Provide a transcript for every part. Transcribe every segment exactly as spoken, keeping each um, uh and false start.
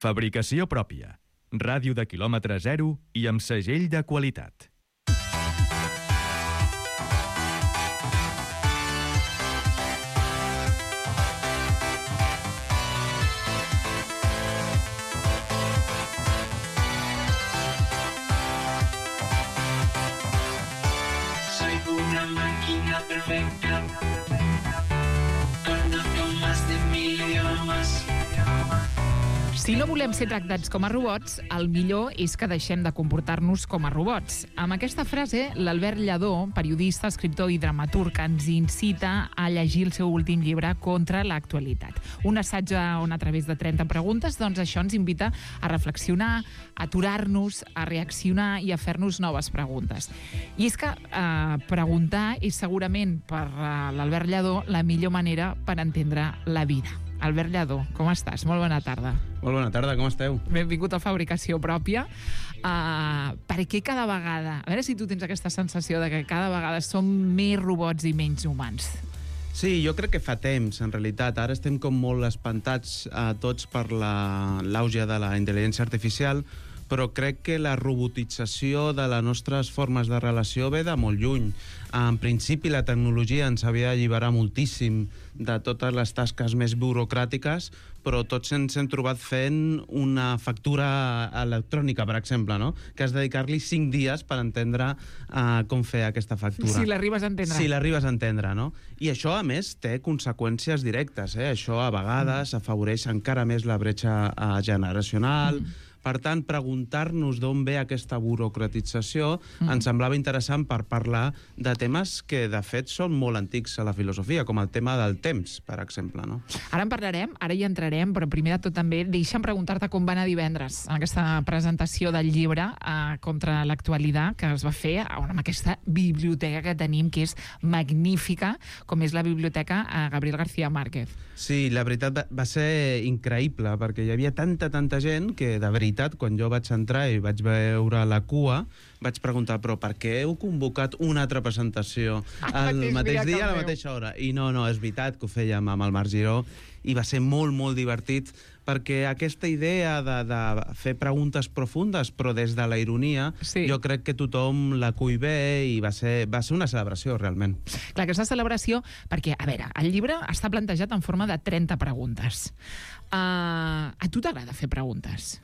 Fabricació pròpia. Ràdio de quilòmetre zero i amb segell de qualitat. Soy una máquina perfecta, conozco más de mil idiomas. Si no volem ser tractats com a robots, el millor és que deixem de comportar-nos com a robots. Amb aquesta frase, l'Albert Lledó, periodista, escriptor i dramaturg, ens incita a llegir el seu últim llibre Contra l'actualitat. Un assaig on, a través de trenta preguntes, doncs això ens invita a reflexionar, a aturar-nos, a reaccionar i a fer-nos noves preguntes. I és que eh, preguntar és segurament, per eh, l'Albert Lledó, la millor manera per entendre la vida. Albert Lledó, com estàs? Molt bona tarda. Molt bona tarda, com esteu? Benvingut a Fabricació Pròpia. Uh, per què cada vegada... A veure si tu tens aquesta sensació de que cada vegada som més robots i menys humans. Sí, jo crec que fa temps, en realitat. Ara estem com molt espantats uh, tots per l'auge de la intel·ligència artificial, però crec que la robotització de les nostres formes de relació ve de molt lluny. En principi, la tecnologia ens havia d'alliberar moltíssim de totes les tasques més burocràtiques, però tots ens hem trobat fent una factura electrònica, per exemple, no? Que has de dedicar-li cinc dies per entendre uh, com fer aquesta factura. Si l'arribes a entendre. Si l'arribes a entendre, no? I això, a més, té conseqüències directes, eh? Això, a vegades, mm. afavoreix encara més la bretxa uh, generacional. Mm. Per tant, preguntar-nos d'on ve aquesta burocratització mm. ens semblava interessant per parlar de temes que, de fet, són molt antics a la filosofia, com el tema del temps, per exemple, no? Ara en parlarem, ara hi entrarem, però primer de tot també deixa'm preguntar-te com va anar divendres en aquesta presentació del llibre eh, Contra l'actualitat, que es va fer amb aquesta biblioteca que tenim, que és magnífica, com és la biblioteca eh, Gabriel García Márquez. Sí, la veritat va, va ser increïble, perquè hi havia tanta, tanta gent que, de veritat, quan jo vaig entrar i vaig veure la cua, vaig preguntar, però per què heu convocat una altra presentació el mateix, mateix dia, a la mateixa hora? I no, no, és veritat que ho fèiem amb el Marc Giró i va ser molt, molt divertit, perquè aquesta idea de, de fer preguntes profundes, però des de la ironia, sí. Jo crec que tothom la cull bé i va ser, va ser una celebració, realment. Clar, aquesta celebració, perquè, a veure, el llibre està plantejat en forma de trenta preguntes. Uh, a tu t'agrada fer preguntes?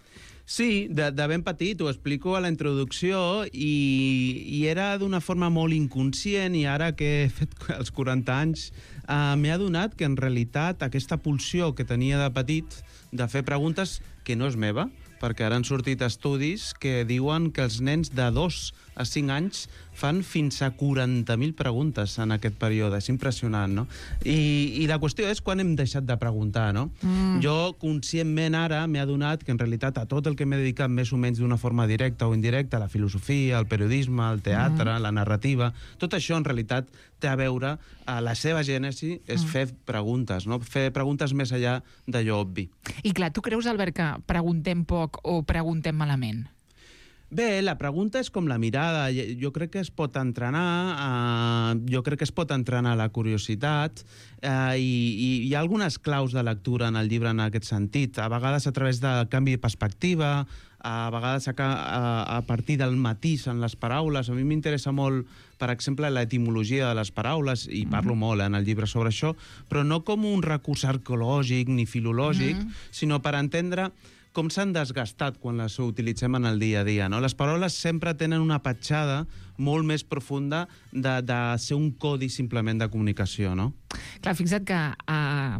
Sí, de, de ben petit, ho explico a la introducció, i, i era d'una forma molt inconscient, i ara que he fet els quaranta anys eh, m'he adonat que en realitat aquesta pulsió que tenia de petit de fer preguntes, que no és meva, perquè ara han sortit estudis que diuen que els nens de dos a cinc anys fan fins a quaranta mil preguntes en aquest període. És impressionant, no? I, i la qüestió és quan hem deixat de preguntar, no? Mm. Jo, conscientment, ara m'he adonat que en realitat a tot el que m'he dedicat més o menys d'una forma directa o indirecta, la filosofia, el periodisme, el teatre, mm. la narrativa, tot això en realitat té a veure, a la seva gènesi és mm. fer preguntes, no? Fer preguntes més enllà d'allò obvi. I clar, tu creus, Albert, que preguntem poc o preguntem malament? Bé, la pregunta és com la mirada. Jo crec que es pot entrenar, eh, jo crec que es pot entrenar la curiositat, eh, i, i hi ha algunes claus de lectura en el llibre en aquest sentit. A vegades a través del canvi de perspectiva, a vegades a, a, a partir del matís en les paraules. A mi m'interessa molt, per exemple, l'etimologia de les paraules, i parlo mm. molt en el llibre sobre això, però no com un recurs arqueològic ni filològic, mm. sinó per entendre com s'han desgastat quan les utilitzem en el dia a dia, no? Les paraules sempre tenen una petjada molt més profunda de, de ser un codi simplement de comunicació, no? Clar, fixa't que uh,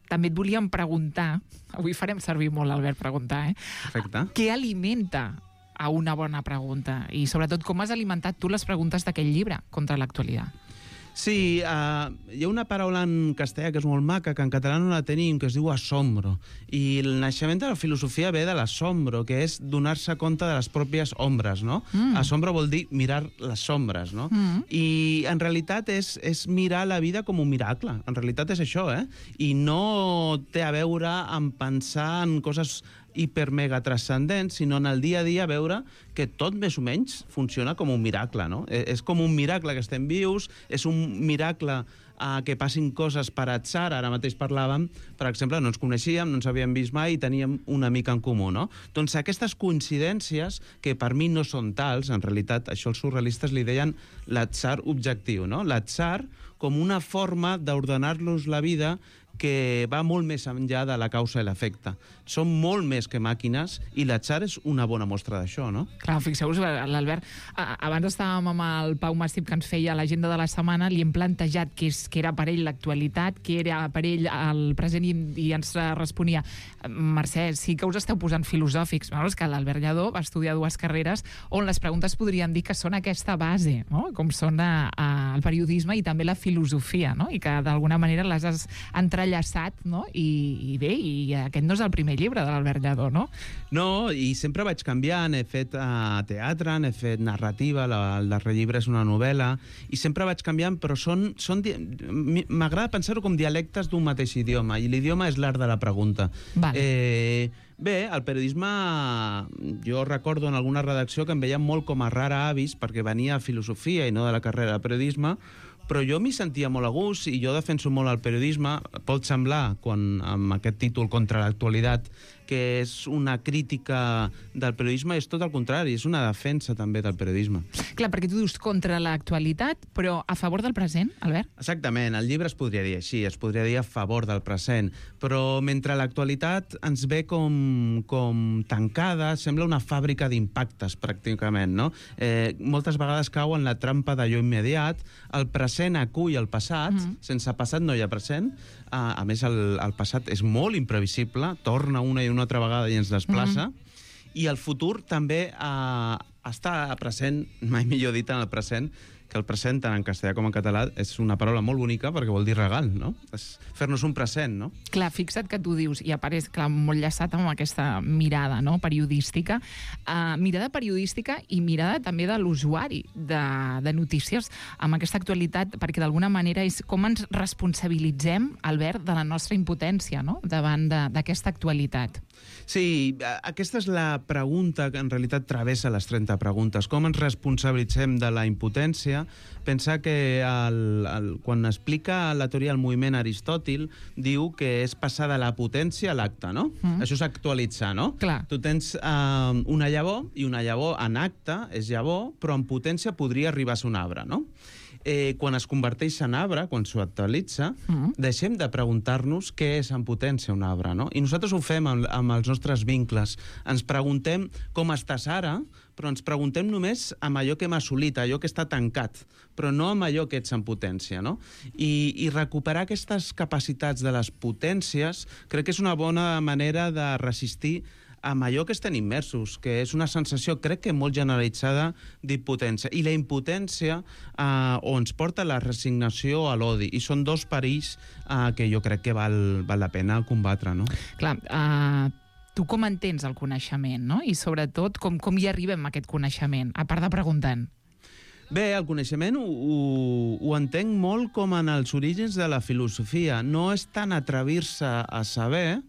també et volíem preguntar, avui farem servir molt l'Albert preguntar, eh? Perfecte. Què alimenta a una bona pregunta? I sobretot, com has alimentat tu les preguntes d'aquest llibre, Contra l'actualitat? Sí, uh, hi ha una paraula en castellà que és molt maca, que en català no la tenim, que es diu assombro. I el naixement de la filosofia ve de l'assombro, que és donar-se compte de les pròpies ombres, no? Mm. Assombro vol dir mirar les sombres, no? Mm. I en realitat és, és mirar la vida com un miracle. En realitat és això, eh? I no té a veure amb pensar en coses hiper-mega transcendent, sinó en el dia a dia veure que tot més o menys funciona com un miracle, no? És com un miracle que estem vius, és un miracle uh, que passin coses per atzar. Ara mateix parlàvem, per exemple, no ens coneixíem, no ens havíem vist mai i teníem una mica en comú, no? Doncs aquestes coincidències, que per mi no són tals, en realitat això els surrealistes li deien l'atzar objectiu, no? L'atzar com una forma d'ordenar-los la vida que va molt més enllà de la causa i l'efecte. Som molt més que màquines i l'atzar és una bona mostra d'això, no? Clar, fixeu-vos, l'Albert, abans estàvem amb el Pau Màstip que ens feia l'agenda de la setmana, li hem plantejat que, és, que era per ell l'actualitat, que era per ell el present, i, i ens responia: Mercè, sí que us esteu posant filosòfics. No, és que l'Albert Lladó va estudiar dues carreres on les preguntes podríem dir que són aquesta base, no? Com són a, a, el periodisme i també la filosofia, no? I que d'alguna manera les has entrellaçat, no? I, i bé, i aquest no és el primer llibre de l'Albert Lladó, no? No, i sempre vaig canviant. He fet uh, teatre, n'he fet narrativa, la, el darrer llibre és una novel·la, i sempre vaig canviant, però són... són m'agrada pensar-ho com dialectes d'un mateix idioma, i l'idioma és l'art de la pregunta. Vale. Eh, bé, el periodisme, jo recordo en alguna redacció que em veien molt com a rara avis, perquè venia a filosofia i no de la carrera de periodisme, però jo m'hi sentia molt a gust i jo defenso molt el periodisme. Pot semblar, quan, amb aquest títol Contra l'actualitat, que és una crítica del periodisme, és tot el contrari, és una defensa també del periodisme. Clar, perquè tu dius contra l'actualitat, però a favor del present, Albert? Exactament, el llibre es podria dir així, es podria dir a favor del present, però mentre l'actualitat ens ve com, com tancada, sembla una fàbrica d'impactes, pràcticament, no? Eh, moltes vegades cau en la trampa d'allò immediat, el present acull el passat, mm. sense passat no hi ha present, a, a més el, el passat és molt imprevisible, torna una i una altra vegada i ens desplaça, mm-hmm. i el futur també eh, està present, mai millor dit en el present, que el present, tant en castellà com en català, és una paraula molt bonica perquè vol dir regal, no? És fer-nos un present, no? Clar, fixa't que tu dius, i apareix, clar, molt llaçat amb aquesta mirada, no?, periodística, uh, mirada periodística i mirada també de l'usuari de, de notícies amb aquesta actualitat, perquè d'alguna manera és com ens responsabilitzem, Albert, de la nostra impotència, no?, davant d'aquesta actualitat. Sí, aquesta és la pregunta que en realitat travessa les trenta preguntes. Com ens responsabilitzem de la impotència? Pensar que el, el, quan explica la teoria del moviment Aristòtil, diu que és passar de la potència a l'acte, no? Mm. Això és actualitzar, no? Clar. Tu tens uh, una llavor, i una llavor en acte és llavor, però en potència podria arribar a ser un arbre, no? Eh, quan es converteix en arbre, quan s'actualitza, mm. deixem de preguntar-nos què és en potència un arbre, no? I nosaltres ho fem amb, amb els nostres vincles. Ens preguntem com estàs ara, però ens preguntem només amb allò que hem assolit, allò que està tancat, però no amb allò que ets en potència, no? I, i recuperar aquestes capacitats de les potències crec que és una bona manera de resistir amb allò que estem immersos, que és una sensació, crec que molt generalitzada, d'impotència. I la impotència eh, o ens porta a la resignació o a l'odi. I són dos perills eh, que jo crec que val, val la pena combatre, no? Clar, uh, tu com entens el coneixement, no? I sobretot, com, com hi arribem a aquest coneixement, a part de preguntant? Bé, el coneixement ho, ho, ho entenc molt com en els orígens de la filosofia. No és tant atrevir-se a saber,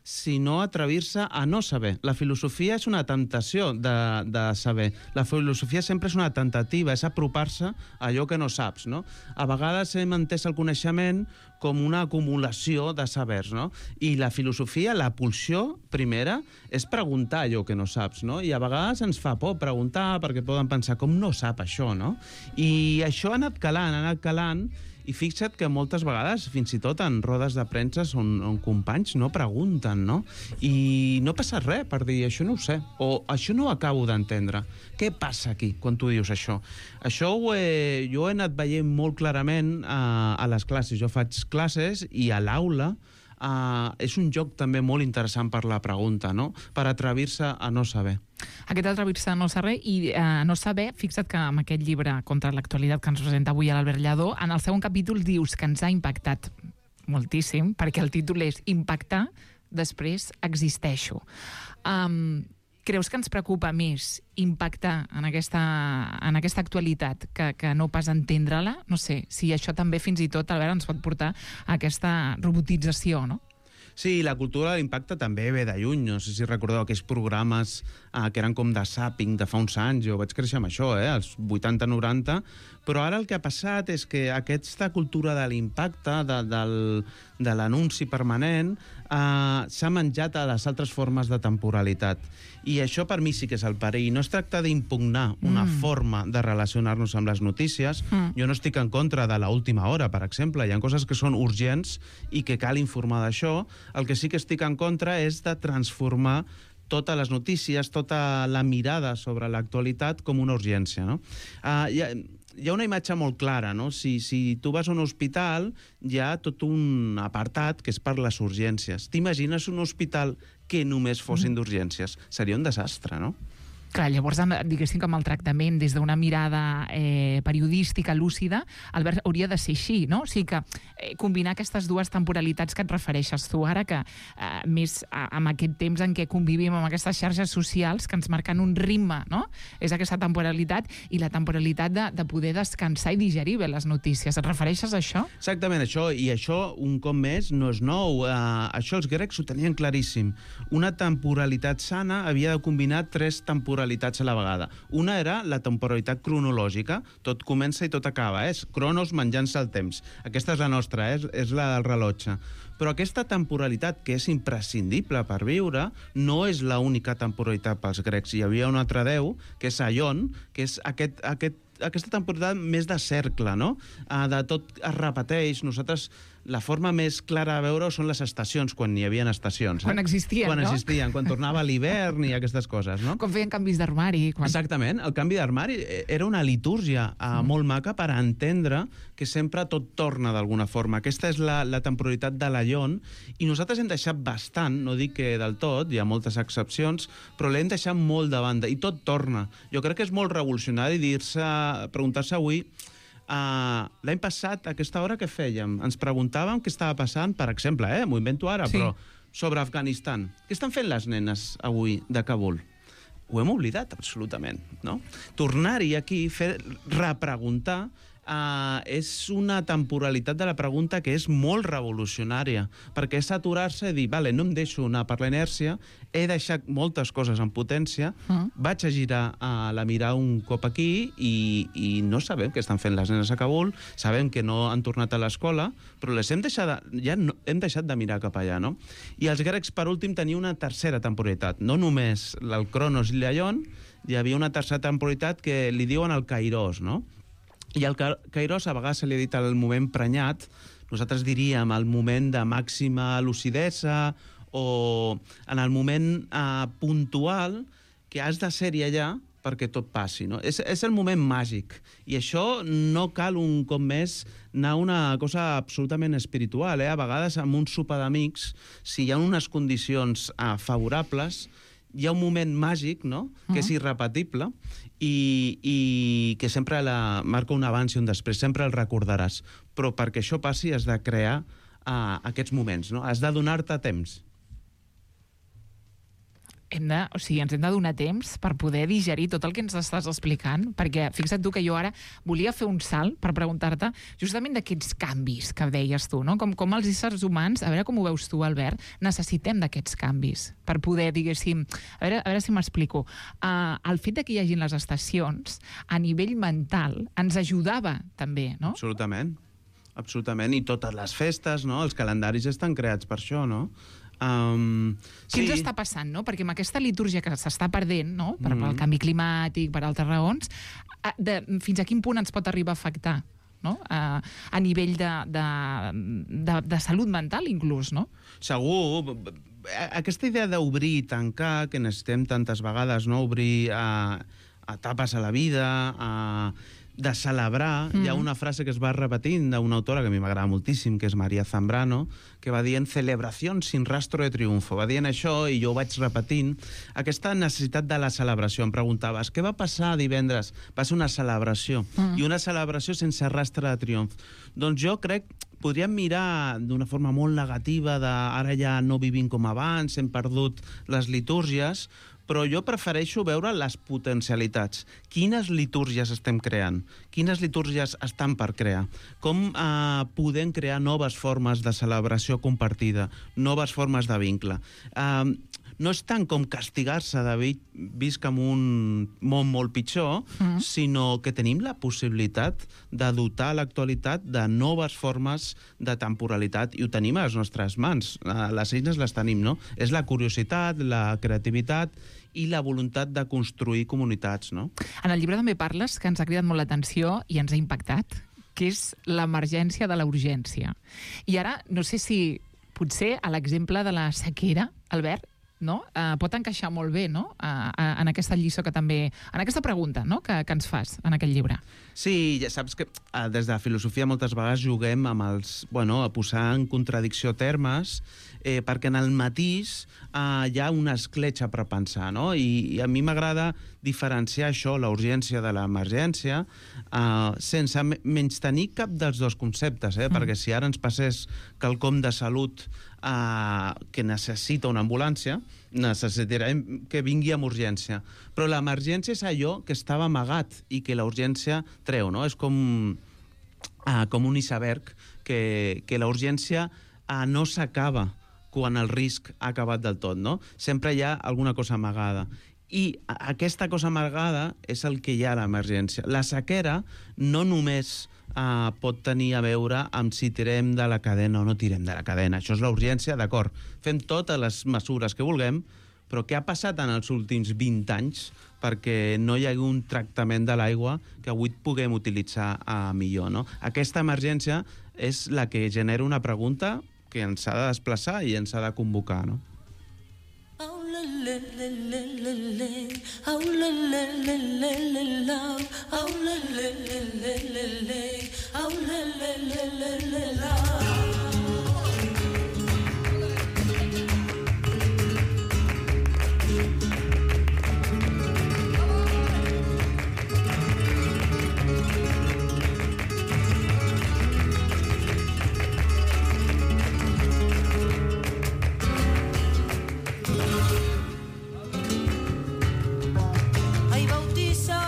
sinó atrevir-se a no saber. La filosofia és una temptació de, de saber. La filosofia sempre és una tentativa, és apropar-se a allò que no saps, no? A vegades hem entès el coneixement com una acumulació de sabers, no? I la filosofia, la pulsió primera, és preguntar allò que no saps, no? I a vegades ens fa por preguntar perquè poden pensar com no sap això, no? I això ha anat calant, ha anat calant, i fixa't que moltes vegades, fins i tot en rodes de premsa on, on companys no pregunten, no? I no passa res per dir, això no ho sé, o això no ho acabo d'entendre. Què passa aquí quan tu dius això? Això ho he, jo he anat veient molt clarament a, a les classes. Jo faig classes i a l'aula Uh, és un joc també molt interessant per la pregunta, no? Per atrevir-se a no saber. Aquest atrevir-se a no saber i uh, no saber, fixa't que amb aquest llibre Contra l'actualitat que ens presenta avui a l'Albert Lladó, en el segon capítol dius que ens ha impactat moltíssim, perquè el títol és Impactar, després existeixo. Um, creus que ens preocupa més impactar en aquesta, en aquesta actualitat que, que no pas entendre-la? No sé, si això també fins i tot, Albert, ens pot portar a aquesta robotització, no? Sí, la cultura de l'impacte també ve de lluny. No sé si recordeu aquells programes eh, que eren com de zàping de fa uns anys. Jo vaig créixer amb això, eh, als vuitanta noranta. Però ara el que ha passat és que aquesta cultura de l'impacte, de, del, de l'anunci permanent, eh, s'ha menjat a les altres formes de temporalitat. I això per mi sí que és el perill. No es tracta d'impugnar una mm. forma de relacionar-nos amb les notícies. Mm. Jo no estic en contra de l'última hora, per exemple. Hi ha coses que són urgents i que cal informar d'això. El que sí que estic en contra és de transformar totes les notícies, tota la mirada sobre l'actualitat com una urgència, no? Uh, hi ha, hi ha una imatge molt clara, no? Si, si tu vas a un hospital, hi ha tot un apartat que és per les urgències. T'imagines un hospital que només fossin d'urgències? Seria un desastre, no? Clar, llavors, diguéssim que amb el tractament des d'una mirada eh, periodística lúcida, Albert, hauria de ser així, no? O sigui que eh, combinar aquestes dues temporalitats que et refereixes tu ara, que eh, més a, amb aquest temps en què convivim amb aquestes xarxes socials que ens marquen un ritme, no? És aquesta temporalitat i la temporalitat de, de poder descansar i digerir bé les notícies. Et refereixes a això? Exactament, això, i això, un cop més, no és nou. Uh, això els grecs ho tenien claríssim. Una temporalitat sana havia de combinar tres temporalitats a la vegada. Una era la temporalitat cronològica, tot comença i tot acaba, és cronos menjant-se el temps. Aquesta és la nostra, és, és la del rellotge. Però aquesta temporalitat, que és imprescindible per viure, no és l'única temporalitat pels grecs. Hi havia un altre déu, que és Aion, que és aquest, aquest, aquesta temporalitat més de cercle, no? Uh, de tot es repeteix. Nosaltres, la forma més clara de veure són les estacions, quan hi havia estacions. Eh? Quan existien, quan no? Quan existien, quan tornava l'hivern i aquestes coses, no? Quan feien canvis d'armari. Quan... Exactament, el canvi d'armari era una litúrgia uh, mm. molt maca per entendre que sempre tot torna d'alguna forma. Aquesta és la, la temporalitat de l'Aion, i nosaltres hem deixat bastant, no dic que del tot, hi ha moltes excepcions, però l'hem deixat molt de banda, i tot torna. Jo crec que és molt revolucionari dir-se, preguntar-se avui, uh, l'any passat, a aquesta hora, què fèiem? Ens preguntàvem què estava passant, per exemple, eh, m'ho invento ara, sí. Però sobre Afganistan. Què estan fent les nenes avui de Kabul? Ho hem oblidat, absolutament, no? Tornar-hi aquí, fer, repreguntar, Uh, és una temporalitat de la pregunta que és molt revolucionària, perquè és aturar-se i dir, vale, no em deixo anar per la inèrcia, he deixat moltes coses en potència, uh. vaig a girar uh, la mirada un cop aquí i, i no sabem què estan fent les nenes a Kabul, sabem que no han tornat a l'escola, però les hem deixat, ja no, hem deixat de mirar cap allà, no? I els grecs, per últim, tenien una tercera temporalitat, no només el Cronos i l'Aion, hi havia una tercera temporalitat que li diuen el Kairos, no? I el Kairos a vegades se li ha dit el moment prenyat, nosaltres diríem el moment de màxima lucidesa o en el moment eh, puntual que has de ser-hi allà perquè tot passi, no? És, és el moment màgic, i això no cal un cop més anar a una cosa absolutament espiritual, eh? A vegades amb un sopar d'amics, si hi ha unes condicions eh, favorables, hi ha un moment màgic, no?, que és irrepetible i, i que sempre la, marca un abans i un després, sempre el recordaràs. Però perquè això passi has de crear uh, aquests moments, no? Has de donar-te temps. Hem de, o sigui, ens hem de donar temps per poder digerir tot el que ens estàs explicant, perquè fixa't tu que jo ara volia fer un salt per preguntar-te justament d'aquests canvis que deies tu, no? Com, com els éssers humans, a veure com ho veus tu, Albert, necessitem d'aquests canvis per poder, diguéssim, a veure, a veure si m'explico. Uh, el fet de que hi hagin les estacions, a nivell mental, ens ajudava també, no? Absolutament, absolutament, i totes les festes, no? Els calendaris estan creats per això, no? Um, Què sí. ens està passant, no? Perquè amb aquesta litúrgia que s'està perdent, no? Per, mm. pel canvi climàtic, per altres raons, de, fins a quin punt ens pot arribar a afectar, no? A, a nivell de, de, de, de salut mental, inclús, no? Segur. Aquesta idea d'obrir i tancar, que necessitem tantes vegades, no? Obrir a, a etapes a la vida, a de celebrar. Mm. Hi ha una frase que es va repetint d'una autora que a mi m'agrada moltíssim, que és Maria Zambrano, que va dient celebració sin rastro de triunfo. Va dient això i jo ho vaig repetint. Aquesta necessitat de la celebració. Em preguntaves, què va passar divendres? Va ser una celebració. Mm. I una celebració sense rastre de triomf. Doncs jo crec podríem mirar d'una forma molt negativa de ara ja no vivim com abans, hem perdut les litúrgies, però jo prefereixo veure les potencialitats. Quines litúrgies estem creant? Quines litúrgies estan per crear? Com eh, podem crear noves formes de celebració compartida, noves formes de vincle? Eh, no és tant com castigar-se de vi visc en un món molt pitjor, mm. sinó que tenim la possibilitat de dotar l'actualitat de noves formes de temporalitat, i ho tenim a les nostres mans. Les eines les tenim, no? És la curiositat, la creativitat i la voluntat de construir comunitats, no? En el llibre també parles, que ens ha cridat molt l'atenció i ens ha impactat, que és l'emergència de la urgència. I ara, no sé si potser a l'exemple de la sequera, Albert, no? Uh, pot encaixar molt bé, no? Uh, uh, en aquesta lliçó que també... En aquesta pregunta, no? que, que ens fas en aquest llibre. Sí, ja saps que uh, des de la filosofia moltes vegades juguem amb els... Bueno, a posar en contradicció termes, eh, perquè en el matís uh, hi ha una escletxa per pensar, no? I, i a mi m'agrada diferenciar això, la urgència de l'emergència, uh, sense menys tenir cap dels dos conceptes, eh? Mm. Perquè si ara ens passés quelcom de salut Uh, que necessita una ambulància, necessitarem que vingui amb urgència. Però l'emergència és allò que estava amagat i que la urgència treu, no? És com, uh, com un iceberg, que, que la urgència uh, no s'acaba quan el risc ha acabat del tot, no? Sempre hi ha alguna cosa amagada. I aquesta cosa amagada és el que hi ha a l'emergència. La sequera no només uh, pot tenir a veure amb si tirem de la cadena o no tirem de la cadena. Això és la urgència, d'acord. Fem totes les mesures que vulguem, però què ha passat en els últims vint anys perquè no hi hagi un tractament de l'aigua que avui puguem utilitzar uh, millor, no? Aquesta emergència és la que genera una pregunta que ens ha de desplaçar i ens ha de convocar, no?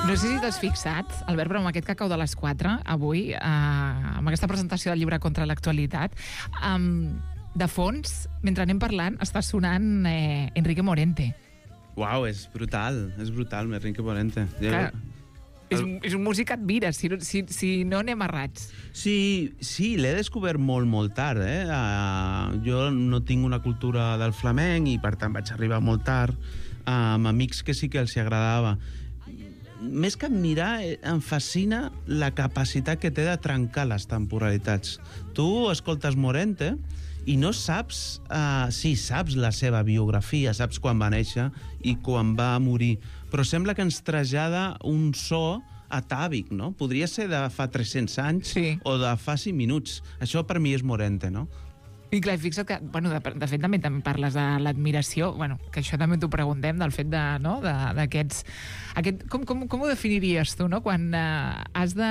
No sé si t'has fixat, Albert, però amb aquest cacau de les quatre, avui, eh, amb aquesta presentació del llibre Contra l'actualitat, eh, de fons, mentre anem parlant, està sonant eh, Enrique Morente. Uau, és brutal, és brutal, Enrique Morente. Clar, és, és un músic que admires, si, si, si no anem errats. Sí, sí, l'he descobert molt, molt tard, eh? Uh, jo no tinc una cultura del flamenc i, per tant, vaig arribar molt tard uh, amb amics que sí que els hi agradava. Més que admirar, em fascina la capacitat que té de trencar les temporalitats. Tu escoltes Morente i no saps... Uh, sí, saps la seva biografia, saps quan va néixer i quan va morir, però sembla que ens trasllada un so atàvic, no? Podria ser de fa tres-cents anys, sí, o de fa cinc minuts. Això per mi és Morente, no? I clar, fixa't que, bueno, de, de fet també també parles de l'admiració, bueno, que això també t'ho preguntem, del fet de, no, d'aquests... Aquest, com, com, com ho definiries tu, no? Quan uh, has de,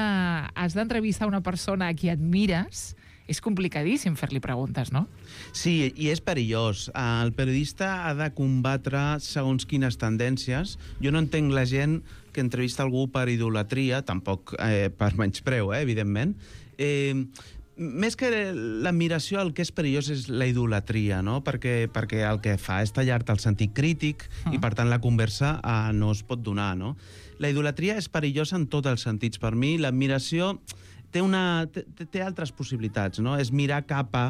has d'entrevistar una persona a qui admires, és complicadíssim fer-li preguntes, no? Sí, i és perillós. El periodista ha de combatre segons quines tendències. Jo no entenc la gent que entrevista algú per idolatria, tampoc eh, per menyspreu, eh, evidentment. Eh, Més que l'admiració, el que és perillós és la idolatria, no? Perquè, perquè el que fa és tallar-te el sentit crític mm. i, per tant, la conversa eh, no es pot donar, no? La idolatria és perillosa en tots els sentits. Per mi, l'admiració té, una, té, té altres possibilitats, no? És mirar cap a...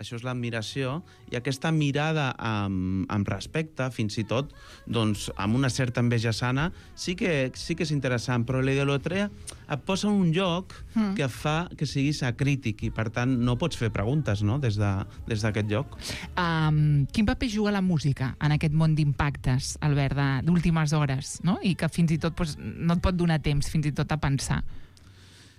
Això és l'admiració, i aquesta mirada amb, amb respecte, fins i tot, doncs, amb una certa enveja sana, sí que, sí que és interessant, però la idolatria et posa en un lloc mm. que fa que siguis acrític, i per tant no pots fer preguntes, no?, des de, des d'aquest lloc. Um, quin paper juga la música en aquest món d'impactes, Albert, d'últimes hores, no?, i que fins i tot doncs, no et pot donar temps fins i tot a pensar?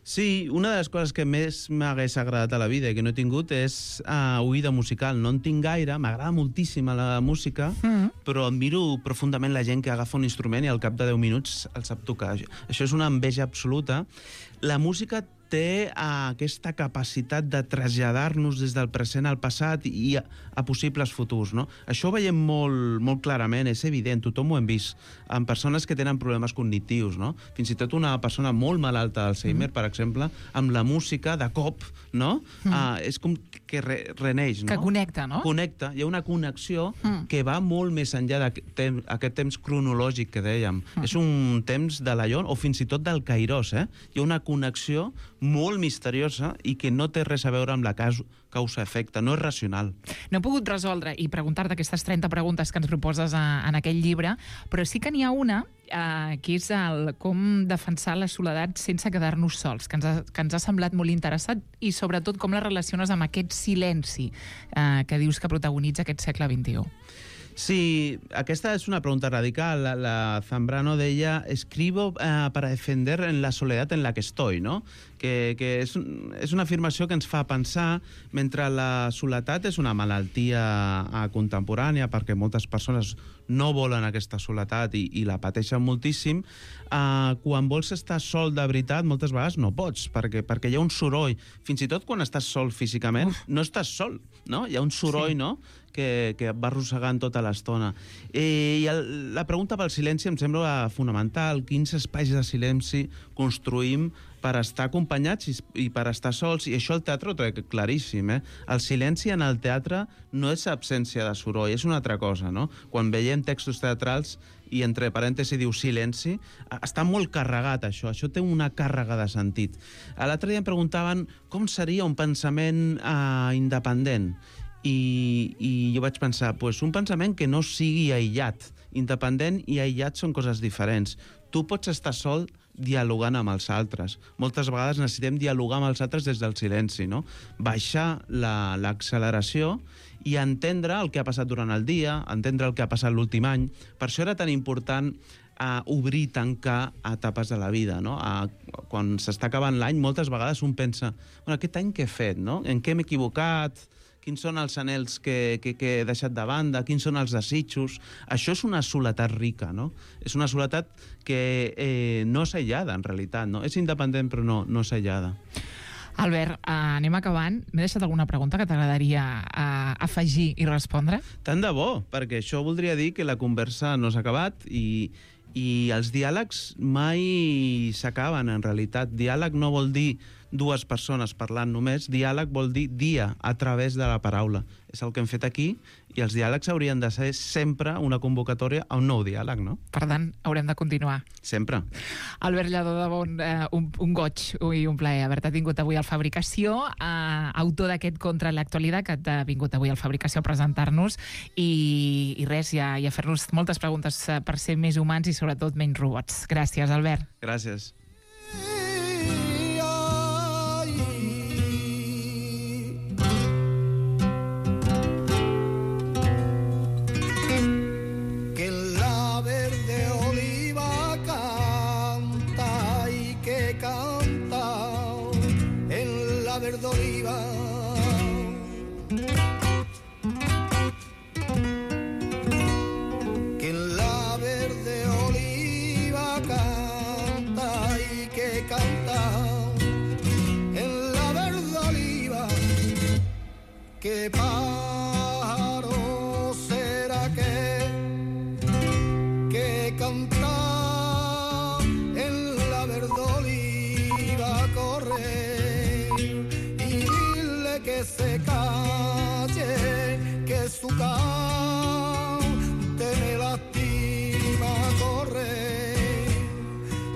Sí, una de les coses que més m'hagués agradat a la vida i que no he tingut és uh, oïda musical. No en tinc gaire, m'agrada moltíssim la música, mm. però admiro profundament la gent que agafa un instrument i al cap de deu minuts el sap tocar. Això és una enveja absoluta. La música té uh, aquesta capacitat de traslladar-nos des del present al passat i a, a possibles futurs, no? Això ho veiem molt, molt clarament, és evident, tothom ho hem vist, amb persones que tenen problemes cognitius, no? Fins i tot una persona molt malalta d'Alzheimer, mm. per exemple, amb la música, de cop, no? Mm. Uh, és com que re, reneix, no? Que connecta, no? Connecta, hi ha una connexió mm. que va molt més enllà d'aquest temps, aquest temps cronològic que dèiem. Mm. És un temps de l'Aion, o fins i tot del Kairos, eh? Hi ha una connexió molt misteriosa i que no té res a veure amb la causa-efecte, no és racional. No he pogut resoldre i preguntar-te aquestes trenta preguntes que ens proposes a, en aquell llibre, però sí que n'hi ha una eh, que és el com defensar la soledat sense quedar-nos sols, que ens, ha, que ens ha semblat molt interessant i sobretot com la relaciones amb aquest silenci eh, que dius que protagonitza aquest segle vint-i-u. Sí, aquesta és una pregunta radical. La, la Zambrano deia, escribo eh, para defender en la soledad en la que estoy, ¿no? Que, que és, és una afirmació que ens fa pensar, mentre la soledat és una malaltia eh, contemporània, perquè moltes persones no volen aquesta soledat i, i la pateixen moltíssim, eh, quan vols estar sol de veritat, moltes vegades no pots, perquè, perquè hi ha un soroll. Fins i tot quan estàs sol físicament, Uf. no estàs sol, no? Hi ha un soroll, sí. no?, que, que va arrossegant tota l'estona. I el, la pregunta pel silenci em sembla fonamental. Quins espais de silenci construïm per estar acompanyats i, i per estar sols? I això el teatre ho té claríssim, eh? El silenci en el teatre no és absència de soroll, és una altra cosa, no? Quan veiem textos teatrals i entre parèntesis diu silenci, està molt carregat això, això té una càrrega de sentit. L'altre dia em preguntaven com seria un pensament eh, independent. I, i jo vaig pensar, pues, un pensament que no sigui aïllat. Independent i aïllat són coses diferents. Tu pots estar sol dialogant amb els altres. Moltes vegades necessitem dialogar amb els altres des del silenci, no? Baixar l'acceleració i entendre el que ha passat durant el dia, entendre el que ha passat l'últim any. Per això era tan important a obrir, tancar etapes de la vida, no? A, quan s'està acabant l'any, moltes vegades un pensa, bueno, aquest any què he fet, no? En què m'he equivocat? Quins són els anhels que, que, que he deixat de banda, quins són els desitjos. Això és una soledat rica, no? És una soledat que eh, no és aïllada, en realitat, no? És independent, però no, no és aïllada. Albert, eh, anem acabant. M'he deixat alguna pregunta que t'agradaria eh, afegir i respondre? Tant de bo, perquè això voldria dir que la conversa no s'ha acabat i, i els diàlegs mai s'acaben, en realitat. Diàleg no vol dir dues persones parlant només, diàleg vol dir dia a través de la paraula. És el que hem fet aquí i els diàlegs haurien de ser sempre una convocatòria a un nou diàleg, no? Per tant, haurem de continuar. Sempre. Albert Lladó, de bon, eh, un, un goig i un plaer haver-te tingut avui al Fabricació, eh, autor d'aquest Contra l'actualitat que t'ha vingut avui al Fabricació a presentar-nos i, i res, i a, i a fer-nos moltes preguntes per ser més humans i sobretot menys robots. Gràcies, Albert. Gràcies. Verde oliva, que en la verde oliva canta y que canta en la verde oliva, que pájaro será que que canta en la verde oliva corre. Que se calle, que su cante me lastima correr.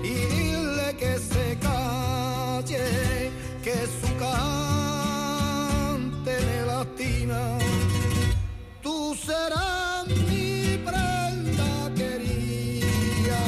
Y dile que se calle, que su cante me lastima. Tú serás mi prenda querida,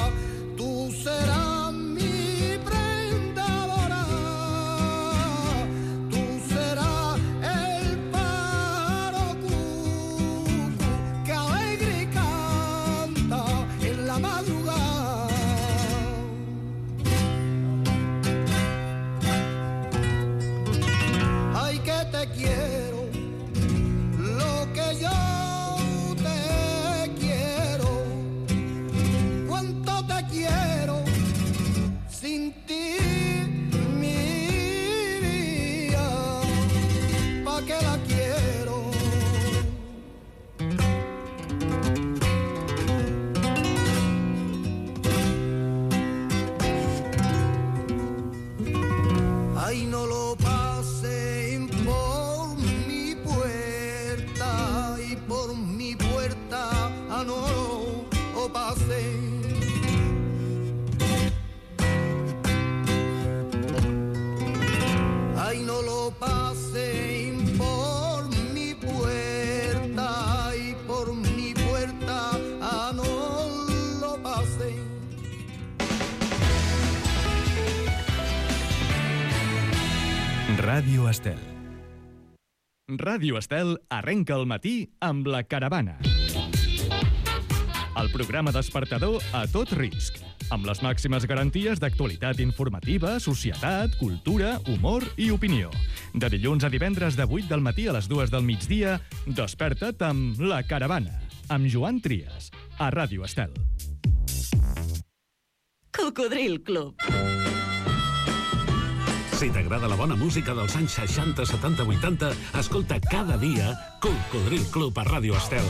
Ràdio Estel. Ràdio Estel arrenca el matí amb La Caravana. El programa despertador a tot risc, amb les màximes garanties d'actualitat informativa, societat, cultura, humor i opinió. De dilluns a divendres de vuit del matí a les dues del migdia, desperta't amb La Caravana, amb Joan Trias, a Ràdio Estel. Cocodril Club. Si t'agrada la bona música dels anys seixanta, setanta, vuitanta, escolta cada dia Cocodril Club a Ràdio Estel.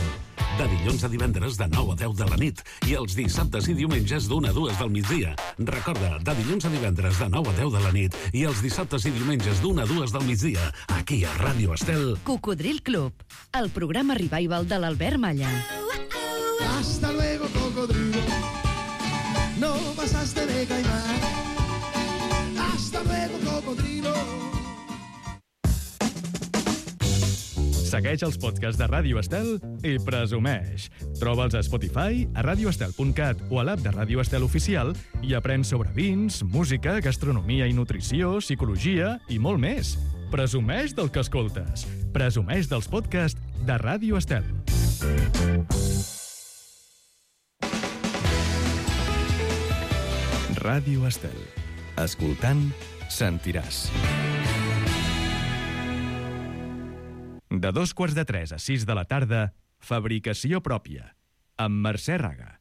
De dilluns a divendres de nou a deu de la nit i els dissabtes i diumenges d'una a dues del migdia. Recorda, de dilluns a divendres de nou a deu de la nit i els dissabtes i diumenges d'una a dues del migdia, aquí a Ràdio Estel. Cocodril Club, el programa revival de l'Albert Malla. Hasta luego, cocodrilo. No pasaste de caimán. Hasta luego, cocodrilo. Segueix els podcasts de Ràdio Estel i presumeix. Troba'ls a Spotify, a radioestel punt cat o a l'app de Ràdio Estel Oficial i aprèn sobre vins, música, gastronomia i nutrició, psicologia i molt més. Presumeix del que escoltes. Presumeix dels podcasts de Ràdio Estel. Ràdio Estel. Escoltant, sentiràs. De dos quarts de tres a sis de la tarda, Fabricació pròpia, amb Mercè Raga.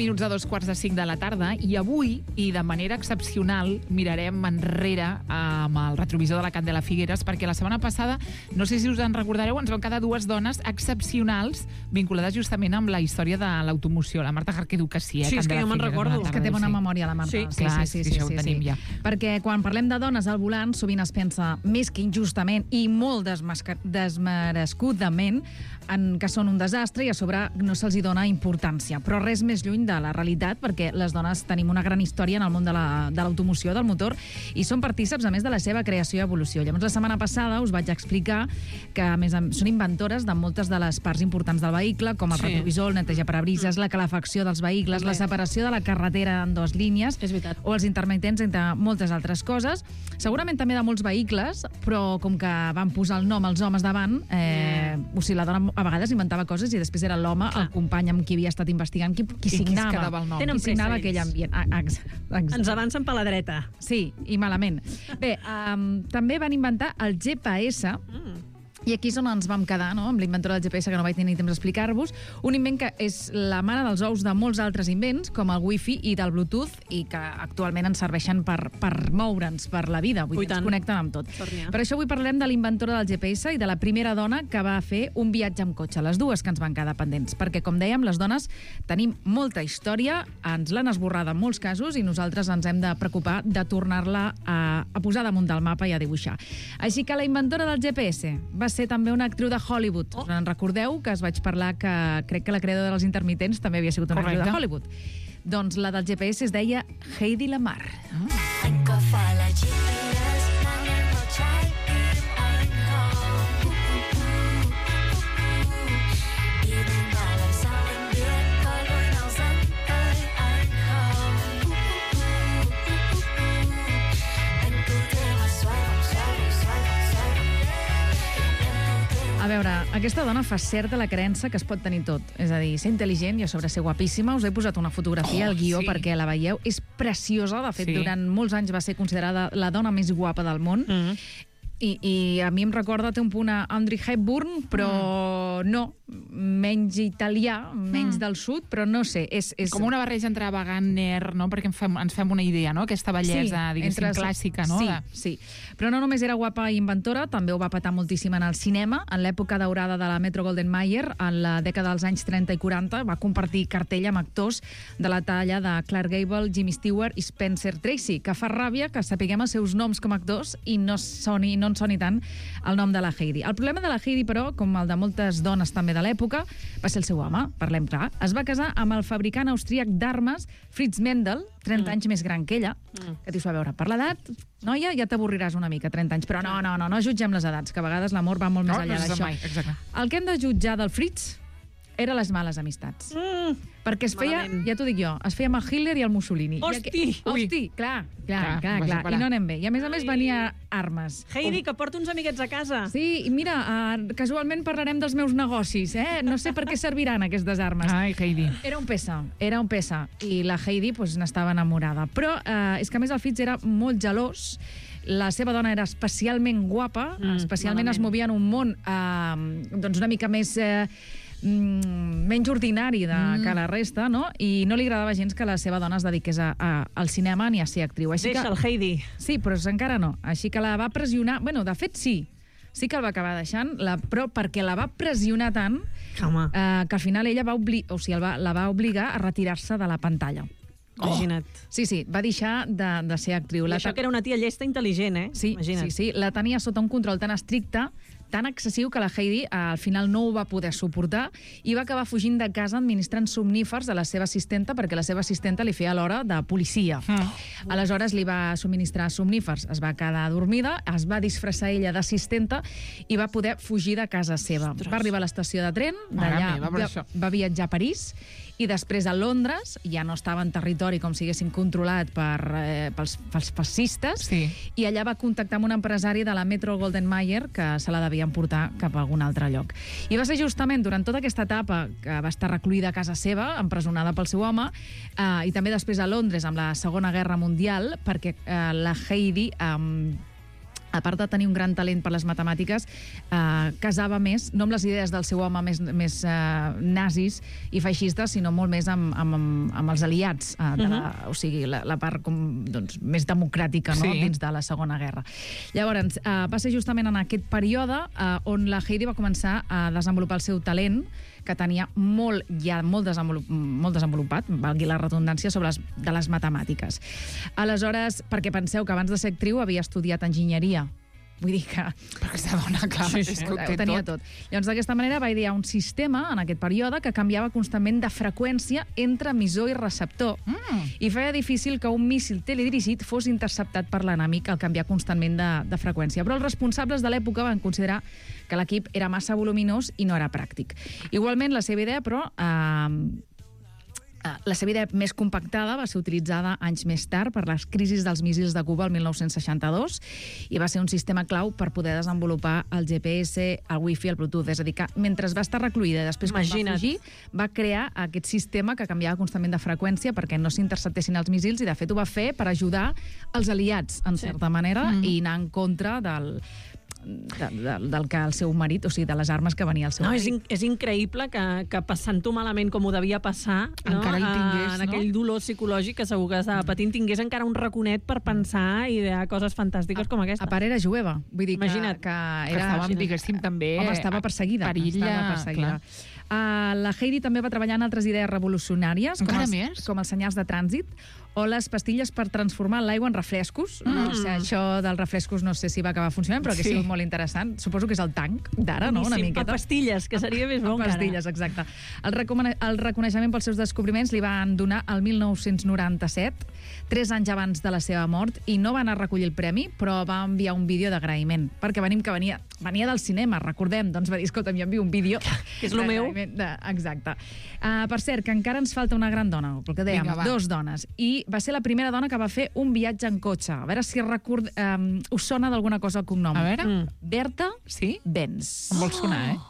Minuts a dos quarts de cinc de la tarda i avui, i de manera excepcional, mirarem enrere amb el retrovisor de la Candela Figueres, perquè la setmana passada, no sé si us en recordareu, ens van quedar dues dones excepcionals vinculades justament amb la història de l'automoció. La Marta Jarquedu, que sí, eh? Sí, és que jo me'n recordo. És que té bona memòria, la Marta. Sí, sí, clar, sí, sí, sí, això ho tenim ja. Perquè quan parlem de dones al volant, sovint es pensa, més que injustament i molt desmerescudament, en que són un desastre i a sobre no se'ls hi dona importància. Però res més lluny de la realitat, perquè les dones tenim una gran història en el món de l'automoció, del motor, i són partíceps, a més, de la seva creació i evolució. Llavors, la setmana passada us vaig explicar que, a més, són inventores de moltes de les parts importants del vehicle, com el Sí. retrovisor, el neteja parabrises, la calefacció dels vehicles, la separació de la carretera en dues línies, És veritat. o els intermitents, entre moltes altres coses. Segurament també de molts vehicles, però com que van posar el nom als homes davant, eh, o sigui, la dona a vegades inventava coses i després era l'home, el company amb qui havia estat investigant, qui, qui I qui es signava, quedava el nom. Tenen qui signava pressa, aquell ells. ambient. Ah, ex- ex- Ens avancen per la dreta. Sí, i malament. Bé, um, també van inventar el G P S, i aquí és on ens vam quedar, no?, amb l'inventora del G P S, que no vaig tenir temps d'explicar-vos, un invent que és la mare dels ous de molts altres invents, com el Wi-Fi i del Bluetooth, i que actualment ens serveixen per, per moure'ns, per la vida, vull Ui, dir, ens tant. connecten amb tot. Sort n'hi ha. Per això avui parlem de l'inventora del G P S i de la primera dona que va fer un viatge amb cotxe, les dues que ens van quedar pendents, perquè, com dèiem, les dones tenim molta història, ens l'han esborrada en molts casos i nosaltres ens hem de preocupar de tornar-la a, a posar damunt del mapa i a dibuixar. Així que la inventora del G P S va ser també una actriu de Hollywood. Oh. En recordeu que es vaig parlar que crec que la creadora dels intermitents també havia sigut una actriu de Correcte. Hollywood. Doncs la del G P S es deia Heidi Lamar. A veure, aquesta dona fa certa la creença que es pot tenir tot. És a dir, ser intel·ligent i a sobre ser guapíssima. Us he posat una fotografia Oh, al guió sí. perquè la veieu. És preciosa. De fet, Sí. durant molts anys va ser considerada la dona més guapa del món. Mm. I, I a mi em recorda, té un punt a Audrey Hepburn, però però no, menys italià, menys del sud, però no sé. És, és... Com una barreja entre Wagner, no? Perquè ens fem, ens fem una idea, no? Aquesta bellesa, sí, diguéssim, entre... clàssica, no? Sí, de... sí. Però no només era guapa i inventora, també ho va patar moltíssim en el cinema. En l'època daurada de la Metro-Goldwyn-Mayer, en la dècada dels anys trenta i quaranta, va compartir cartell amb actors de la talla de Clark Gable, Jimmy Stewart i Spencer Tracy, que fa ràbia que sapiguem els seus noms com a actors i no, soni, no en soni tant el nom de la Heidi. El problema de la Heidi, però, com el de moltes dones també de l'època, va ser el seu home, parlem clar. Es va casar amb el fabricant austríac d'armes Fritz Mendel, trenta mm. anys més gran que ella, mm. que dius, a veure, per l'edat, noia, ja t'avorriràs una mica, trenta anys, però no, no, no, no jutgem les edats, que a vegades l'amor va molt no, més enllà no d'això. Mai, exacte. El que hem de jutjar del Fritz era les males amistats. Mm. Perquè es feia, Malament. ja t'ho dic jo, es feia amb el Hitler i el Mussolini. Hosti! I aqu... Hosti, clar, clar, clar, clar, clar. I no anem bé. I a més a més venia armes. Heidi, que porta uns amiguets a casa. Sí, i mira, uh, casualment parlarem dels meus negocis, eh? No sé per què serviran aquestes armes. Ai, Heidi. Era un peça, era un peça. I la Heidi pues, n'estava enamorada. Però uh, és que a més el Fritz era molt gelós. La seva dona era especialment guapa, mm, especialment malament. Es movia en un món uh, doncs una mica més... Uh, Mm, menys ordinari de, mm. que la resta, no? I no li agradava gens que la seva dona es dediqués a, a, al cinema ni a ser actriu. Així Deixa'l, que, Heidi. Sí, però encara no. Així que la va pressionar... Bueno, de fet, sí. Sí que el va acabar deixant, la, però perquè la va pressionar tant eh, que al final ella va, obli o sigui, va, la va obligar a retirar-se de la pantalla. Oh. Imagina't. Sí, sí, va deixar de, de ser actriu. I la això que era una tia llesta intel·ligent, eh? Sí, Imagina't. sí, sí. La tenia sota un control tan estricte, tan excessiu, que la Heidi al final no ho va poder suportar i va acabar fugint de casa administrant somnífers a la seva assistenta perquè la seva assistenta li feia l'hora de policia. Mm. Aleshores li va subministrar somnífers, es va quedar dormida, es va disfressar ella d'assistenta i va poder fugir de casa seva. Ostres. Va arribar a l'estació de tren, d'allà va, va viatjar a París i després a Londres, ja no estava en territori com si haguessin controlat per, eh, pels, pels fascistes, sí. I allà va contactar amb un empresari de la Metro-Goldwyn-Mayer que se la devien portar cap a algun altre lloc. I va ser justament durant tota aquesta etapa que va estar recluïda a casa seva, empresonada pel seu home, eh, i també després a Londres amb la Segona Guerra Mundial, perquè eh, la Heidi... Eh, a part de tenir un gran talent per les matemàtiques, eh, casava més, no amb les idees del seu home més, més eh, nazis i feixistes, sinó molt més amb, amb, amb els aliats, eh, de la, uh-huh. o sigui, la, la part com, doncs, més democràtica, no? Sí. Dins de la Segona Guerra. Llavors, eh, va ser justament en aquest període eh, on la Heidi va començar a desenvolupar el seu talent, que tenia molt, ja molt, desenvolup, molt desenvolupat, valgui la redundància, sobre les, de les matemàtiques. Aleshores, perquè penseu que abans de ser actriu havia estudiat enginyeria. Vull dir que... Però aquesta dona, clar, sí, sí. És que ho, ho tenia tot. tot. Llavors, d'aquesta manera va idear un sistema, en aquest període, que canviava constantment de freqüència entre emissor i receptor. Mm. I feia difícil que un míssil teledirigit fos interceptat per l'enemic al canviar constantment de, de freqüència. Però els responsables de l'època van considerar que l'equip era massa voluminós i no era pràctic. Igualment, la seva idea, però... Eh, La seva idea més compactada va ser utilitzada anys més tard per les crisis dels míssils de Cuba el mil nou-cents seixanta-dos i va ser un sistema clau per poder desenvolupar el G P S, el Wi-Fi, el Bluetooth. És a dir, que mentre va estar recluïda i després quan va fugir, va crear aquest sistema que canviava constantment de freqüència perquè no s'interceptessin els míssils i, de fet, ho va fer per ajudar els aliats, en sí. certa manera, mm-hmm. i anar en contra del... De, de, del que el seu marit, o sigui, de les armes que venia el seu no, marit. És, in, és increïble que, que passant-ho malament com ho devia passar, no? Encara hi tingués, en no? aquell dolor psicològic que segur que estava patint, tingués encara un raconet per pensar i idear coses fantàstiques a, com aquesta. A part era jueva, vull dir que, Imagina't. que era... Que estàvem, diguéssim, també... Home, estava perseguida. Perilla, estava perseguida. Uh, la Heidi també va treballar en altres idees revolucionàries, com els, més? com els senyals de trànsit, o les pastilles per transformar l'aigua en refrescos. Mm. No sé, això dels refrescos no sé si va acabar funcionant, però que sí. ha sigut molt interessant. Suposo que és el tanc d'ara, no? Una miqueta. A pastilles, que seria més bo encara. A pastilles, exacte. El, el reconeixement pels seus descobriments li van donar el mil nou-cents noranta-set, tres anys abans de la seva mort, i no va anar a recollir el premi, però va enviar un vídeo d'agraïment, perquè venim que venia, venia del cinema, recordem, doncs va dir, escolta, m'envio un vídeo. Que és el meu. De, exacte. Uh, per cert, que encara ens falta una gran dona, pel que dèiem, Vinga, dos dones, i va ser la primera dona que va fer un viatge en cotxe. A veure si record, um, us sona d'alguna cosa el cognom. A veure. Mm. Berta sí? Benz. Em vol sonar, eh?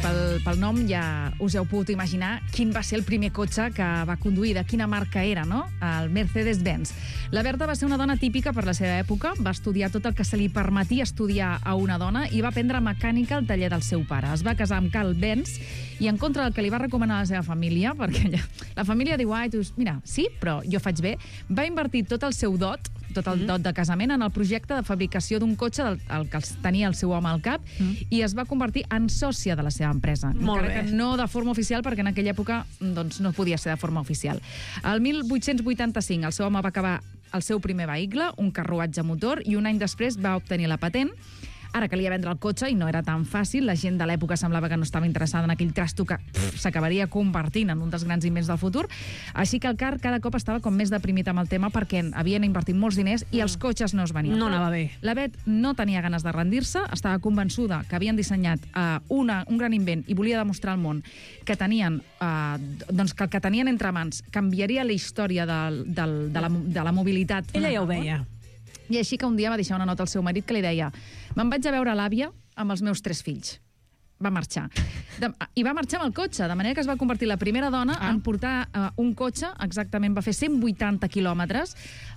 pel, pel nom ja us heu pogut imaginar quin va ser el primer cotxe que va conduir, de quina marca era, no? El Mercedes-Benz. La Berta va ser una dona típica per la seva època, va estudiar tot el que se li permetia estudiar a una dona i va aprendre mecànica al taller del seu pare. Es va casar amb Carl Benz i en contra del que li va recomanar la seva família, perquè ella, la família diu, ai, tu, mira, sí, però jo faig bé, va invertir tot el seu dot, tot el dot de casament en el projecte de fabricació d'un cotxe del el que tenia el seu home al cap mm. i es va convertir en sòcia de la seva empresa. Molt encara bé. que no de forma oficial, perquè en aquella època doncs, no podia ser de forma oficial. El mil vuit-cents vuitanta-cinc el seu home va acabar el seu primer vehicle, un carruatge motor, i un any després va obtenir la patent. Ara calia vendre el cotxe i no era tan fàcil. La gent de l'època semblava que no estava interessada en aquell trasto que s'acabaria convertint en un dels grans invents del futur. Així que el car cada cop estava com més deprimit amb el tema perquè havien invertit molts diners i els cotxes no es venien. No anava bé. La Bet no tenia ganes de rendir-se, estava convençuda que havien dissenyat uh, una, un gran invent i volia demostrar al món que tenien, uh, doncs que el que tenien entre mans canviaria la història del, del, de, la, de la mobilitat. Ella ja ho veia. I així que un dia va deixar una nota al seu marit que li deia: me'n vaig a veure l'àvia amb els meus tres fills. Va marxar. De, I va marxar amb el cotxe, de manera que es va convertir la primera dona ah. en portar uh, un cotxe, exactament, va fer cent vuitanta quilòmetres,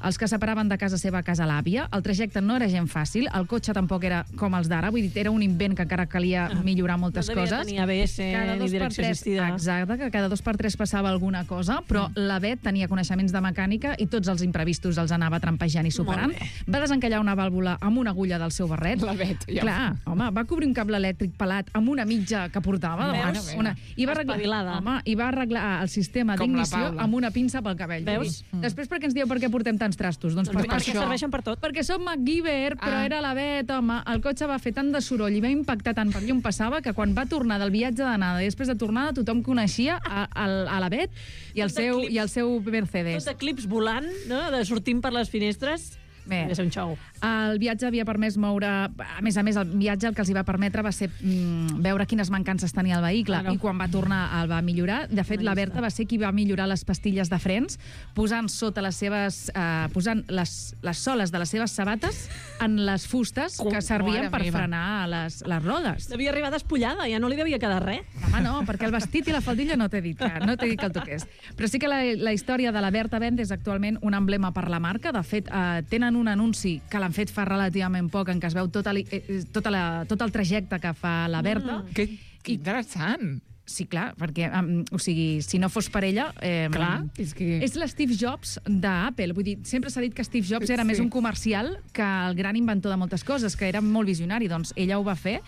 els que separaven de casa seva a casa l'àvia. El trajecte no era gent fàcil, el cotxe tampoc era com els d'ara, vull dir, era un invent que encara calia ah. millorar moltes no coses. No devia tenir A B S ni direcció tres, assistida. Exacte, que cada dos per tres passava alguna cosa, però mm. la Bet tenia coneixements de mecànica i tots els imprevistos els anava trampejant i superant. Va desencallar una vàlvula amb una agulla del seu barret. La Bet, ja. Clar, home, va cobrir un cable elèctric pelat amb una mitja que portava. Veus? Una, i, va arreglar, home, I va arreglar el sistema d'ignició amb una pinça pel cabell. Veus? Mm. Després, per què ens dieu per què portem tants trastos? Doncs, doncs per perquè això. serveixen per tot. Perquè som MacGyver, però Ah. era la Bet, home. El cotxe va fer tant de soroll i va impactar tant per allà on passava que quan va tornar del viatge d'anada i després de tornada tothom coneixia a, a, a la Bet i el, Tot de seu, clips. i el seu Mercedes. Tot de clips volant, no? De sortint per les finestres. Bé, Devia ser un xou. el viatge havia permès moure... A més a més, el viatge el que els hi va permetre va ser mm, veure quines mancances tenia el vehicle, Claro. i quan va tornar el va millorar. De fet, la Berta va ser qui va millorar les pastilles de frens, posant sota les seves... Eh, posant les, les soles de les seves sabates en les fustes Com, que servien mare per meva. frenar les, les rodes. Devia arribar despullada, ja no li devia quedar res. Home, no, perquè el vestit i la faldilla no t'he dit que, no t'he dit que el toqués. Però sí que la, la història de la Berta Benz és actualment un emblema per la marca. De fet, eh, tenen un anunci que l'han fet fa relativament poc, en què es veu tot el, eh, tota la, tot el trajecte que fa la Berta. Mm. Que, que interessant. Sí, clar, perquè, um, o sigui, si no fos per ella... Eh, Clar, és que... És l'Steve Jobs d'Apple. Vull dir, sempre s'ha dit que Steve Jobs era Sí. més un comercial que el gran inventor de moltes coses, que era molt visionari. Doncs ella ho va fer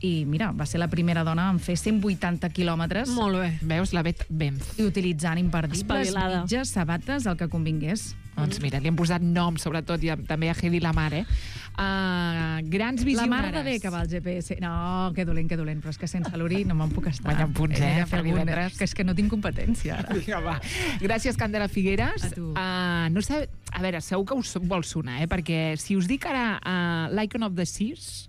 i, mira, va ser la primera dona en fer cent vuitanta quilòmetres Molt bé. Veus, la Bet Benz. i utilitzant imperdibles, Espavilada. mitges, sabates, el que convingués. Doncs mira, li hem posat nom, sobretot, i a- també a Hedy Lamar, eh? Uh, grans La visionares. mar de bé que va el G P S. No, que dolent, que dolent, però és que sense l'Uri no me'n puc estar. Guanya punts, He de eh, fer per algun- divendres. Que és que no tinc competència, ara. Vinga, va. Gràcies, Candela Figueres. A tu. Uh, no sé, a veure, segur que us vol sonar, eh? Perquè si us dic ara uh, l'Icon of the Seas,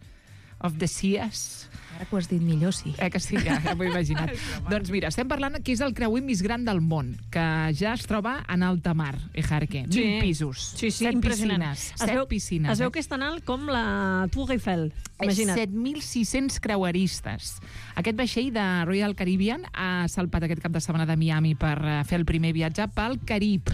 of the Seas, Ara que ho has dit millor, sí. eh, que sí, ja, ja m'ho he imaginat. Doncs mira, estem parlant que és el creuer més gran del món, que ja es troba en alta mar, Ejarque. Sí. Mil pisos, Sí, sí, set impressionant. piscines, Es set veu, piscines. Es veu eh? que és tan alt com la Tour Eiffel. Imagina't. set mil sis-cents creueristes. Aquest vaixell de Royal Caribbean ha salpat aquest cap de setmana de Miami per eh, fer el primer viatge pel Carib.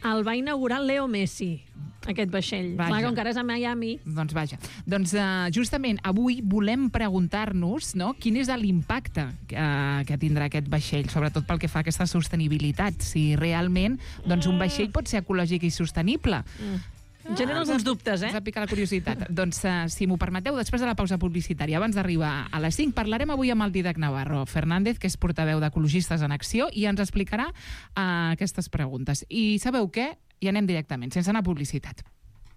El va inaugurar Leo Messi, aquest vaixell. Vaja. Clar, com que ara és a Miami. Doncs vaja. Doncs uh, justament avui volem preguntar-nos, no?, quin és l'impacte que, uh, que tindrà aquest vaixell, sobretot pel que fa a aquesta sostenibilitat. Si realment doncs, un vaixell pot ser ecològic i sostenible. Mm. Genera alguns dubtes, eh? Ens ha picat la curiositat. Doncs, uh, si m'ho permeteu, després de la pausa publicitària, abans d'arribar a les cinc, parlarem avui amb el Didac Navarro Fernández, que és portaveu d'Ecologistes en Acció, i ens explicarà uh, aquestes preguntes. I sabeu què? I anem directament, sense anar a publicitat.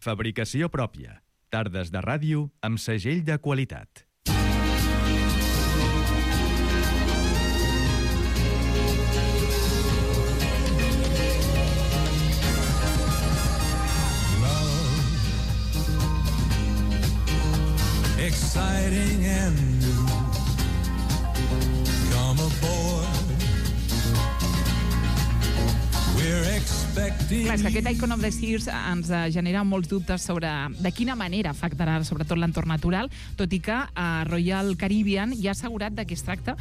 Fabricació pròpia. Tardes de ràdio amb segell de qualitat. Exciting and new. Come aboard. We're expecting expecting. Clar, és que aquest Icon of the Seas ens eh, genera molts dubtes sobre de quina manera afectarà sobretot l'entorn natural, tot i que a Royal Caribbean ja ha assegurat de que es tracta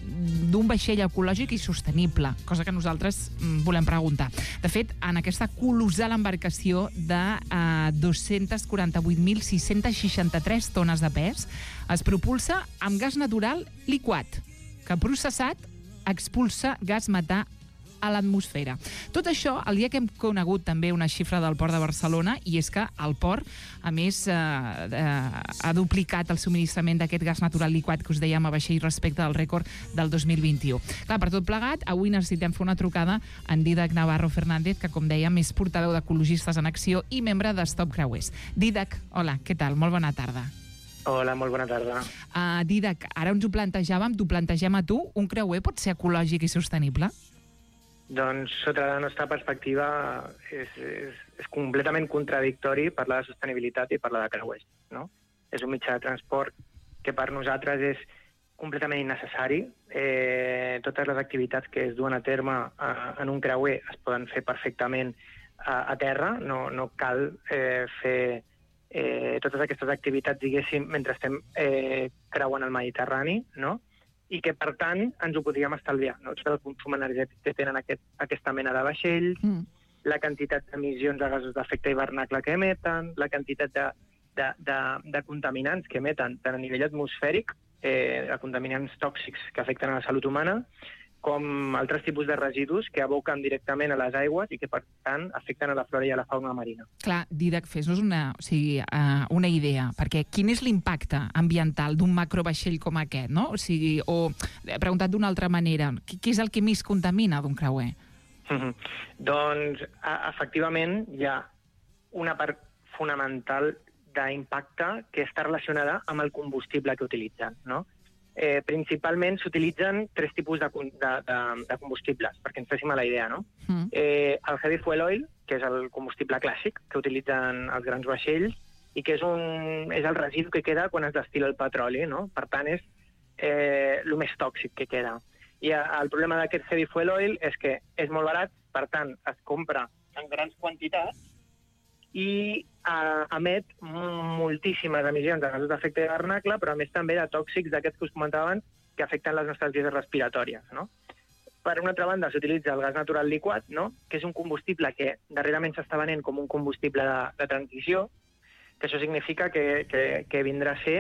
d'un vaixell ecològic i sostenible, cosa que nosaltres mm, volem preguntar. De fet, en aquesta colossal embarcació de eh, dos-cents quaranta-vuit mil sis-cents seixanta-tres tones de pes es propulsa amb gas natural liquat, que processat expulsa gas metà a l'atmosfera. Tot això, el dia que hem conegut també una xifra del Port de Barcelona, i és que el port, a més, eh, eh, ha duplicat el subministrament d'aquest gas natural liquat que us dèiem a vaixell respecte del rècord del dos mil vint-i-u. Clar, per tot plegat, avui necessitem fer una trucada en Dídac Navarro Fernández, que, com dèiem, és portaveu d'Ecologistes en Acció i membre de Stop Creuers. Dídac, hola, què tal? Molt bona tarda. Hola, molt bona tarda. Uh, Dídac, ara ens ho plantejàvem, t'ho plantegem a tu, un creuer pot ser ecològic i sostenible? Doncs, sota la nostra perspectiva, és, és, és completament contradictori parlar de sostenibilitat i parlar de creuers, no? És un mitjà de transport que per nosaltres és completament innecessari. Eh, totes les activitats que es duen a terme a, en un creuer es poden fer perfectament a, a terra, no, no cal eh, fer eh, totes aquestes activitats, diguéssim, mentre estem eh, creuant el Mediterrani, no? I que, per tant, ens ho podríem estalviar, no? Tot el consum energètic que tenen aquest, aquesta mena de vaixells, mm. la quantitat d'emissions de gasos d'efecte hivernacle que emeten, la quantitat de, de, de, de contaminants que emeten tant a nivell atmosfèric, eh, de contaminants tòxics que afecten a la salut humana, com altres tipus de residus que aboquen directament a les aigües i que, per tant, afecten a la flora i a la fauna marina. Clar, Dídac, fes-nos una, o sigui, uh, una idea, perquè quin és l'impacte ambiental d'un macrovaixell com aquest, no? O sigui, o, preguntat d'una altra manera, què, què és el que més contamina d'un creuer? Mm-hmm. Doncs, a, efectivament, hi ha una part fonamental d'impacte que està relacionada amb el combustible que utilitzen, no? Eh, principalment s'utilitzen tres tipus de, de, de, de combustibles, perquè ens féssim a la idea, no? Mm. Eh, el heavy fuel oil, que és el combustible clàssic que utilitzen els grans vaixells i que és, un, és el residu que queda quan es destila el petroli, no? Per tant, és eh, el més tòxic que queda. I el problema d'aquest heavy fuel oil és que és molt barat, per tant, es compra en grans quantitats i uh, emet moltíssimes emissions de gasos d'efecte hivernacle, però a més també de tòxics d'aquests que us comentaven que afecten les nostres vies respiratòries, no? Per una altra banda, s'utilitza el gas natural liquat, no? Que és un combustible que darrerament s'està venent com un combustible de, de transició, que això significa que, que, que vindrà a ser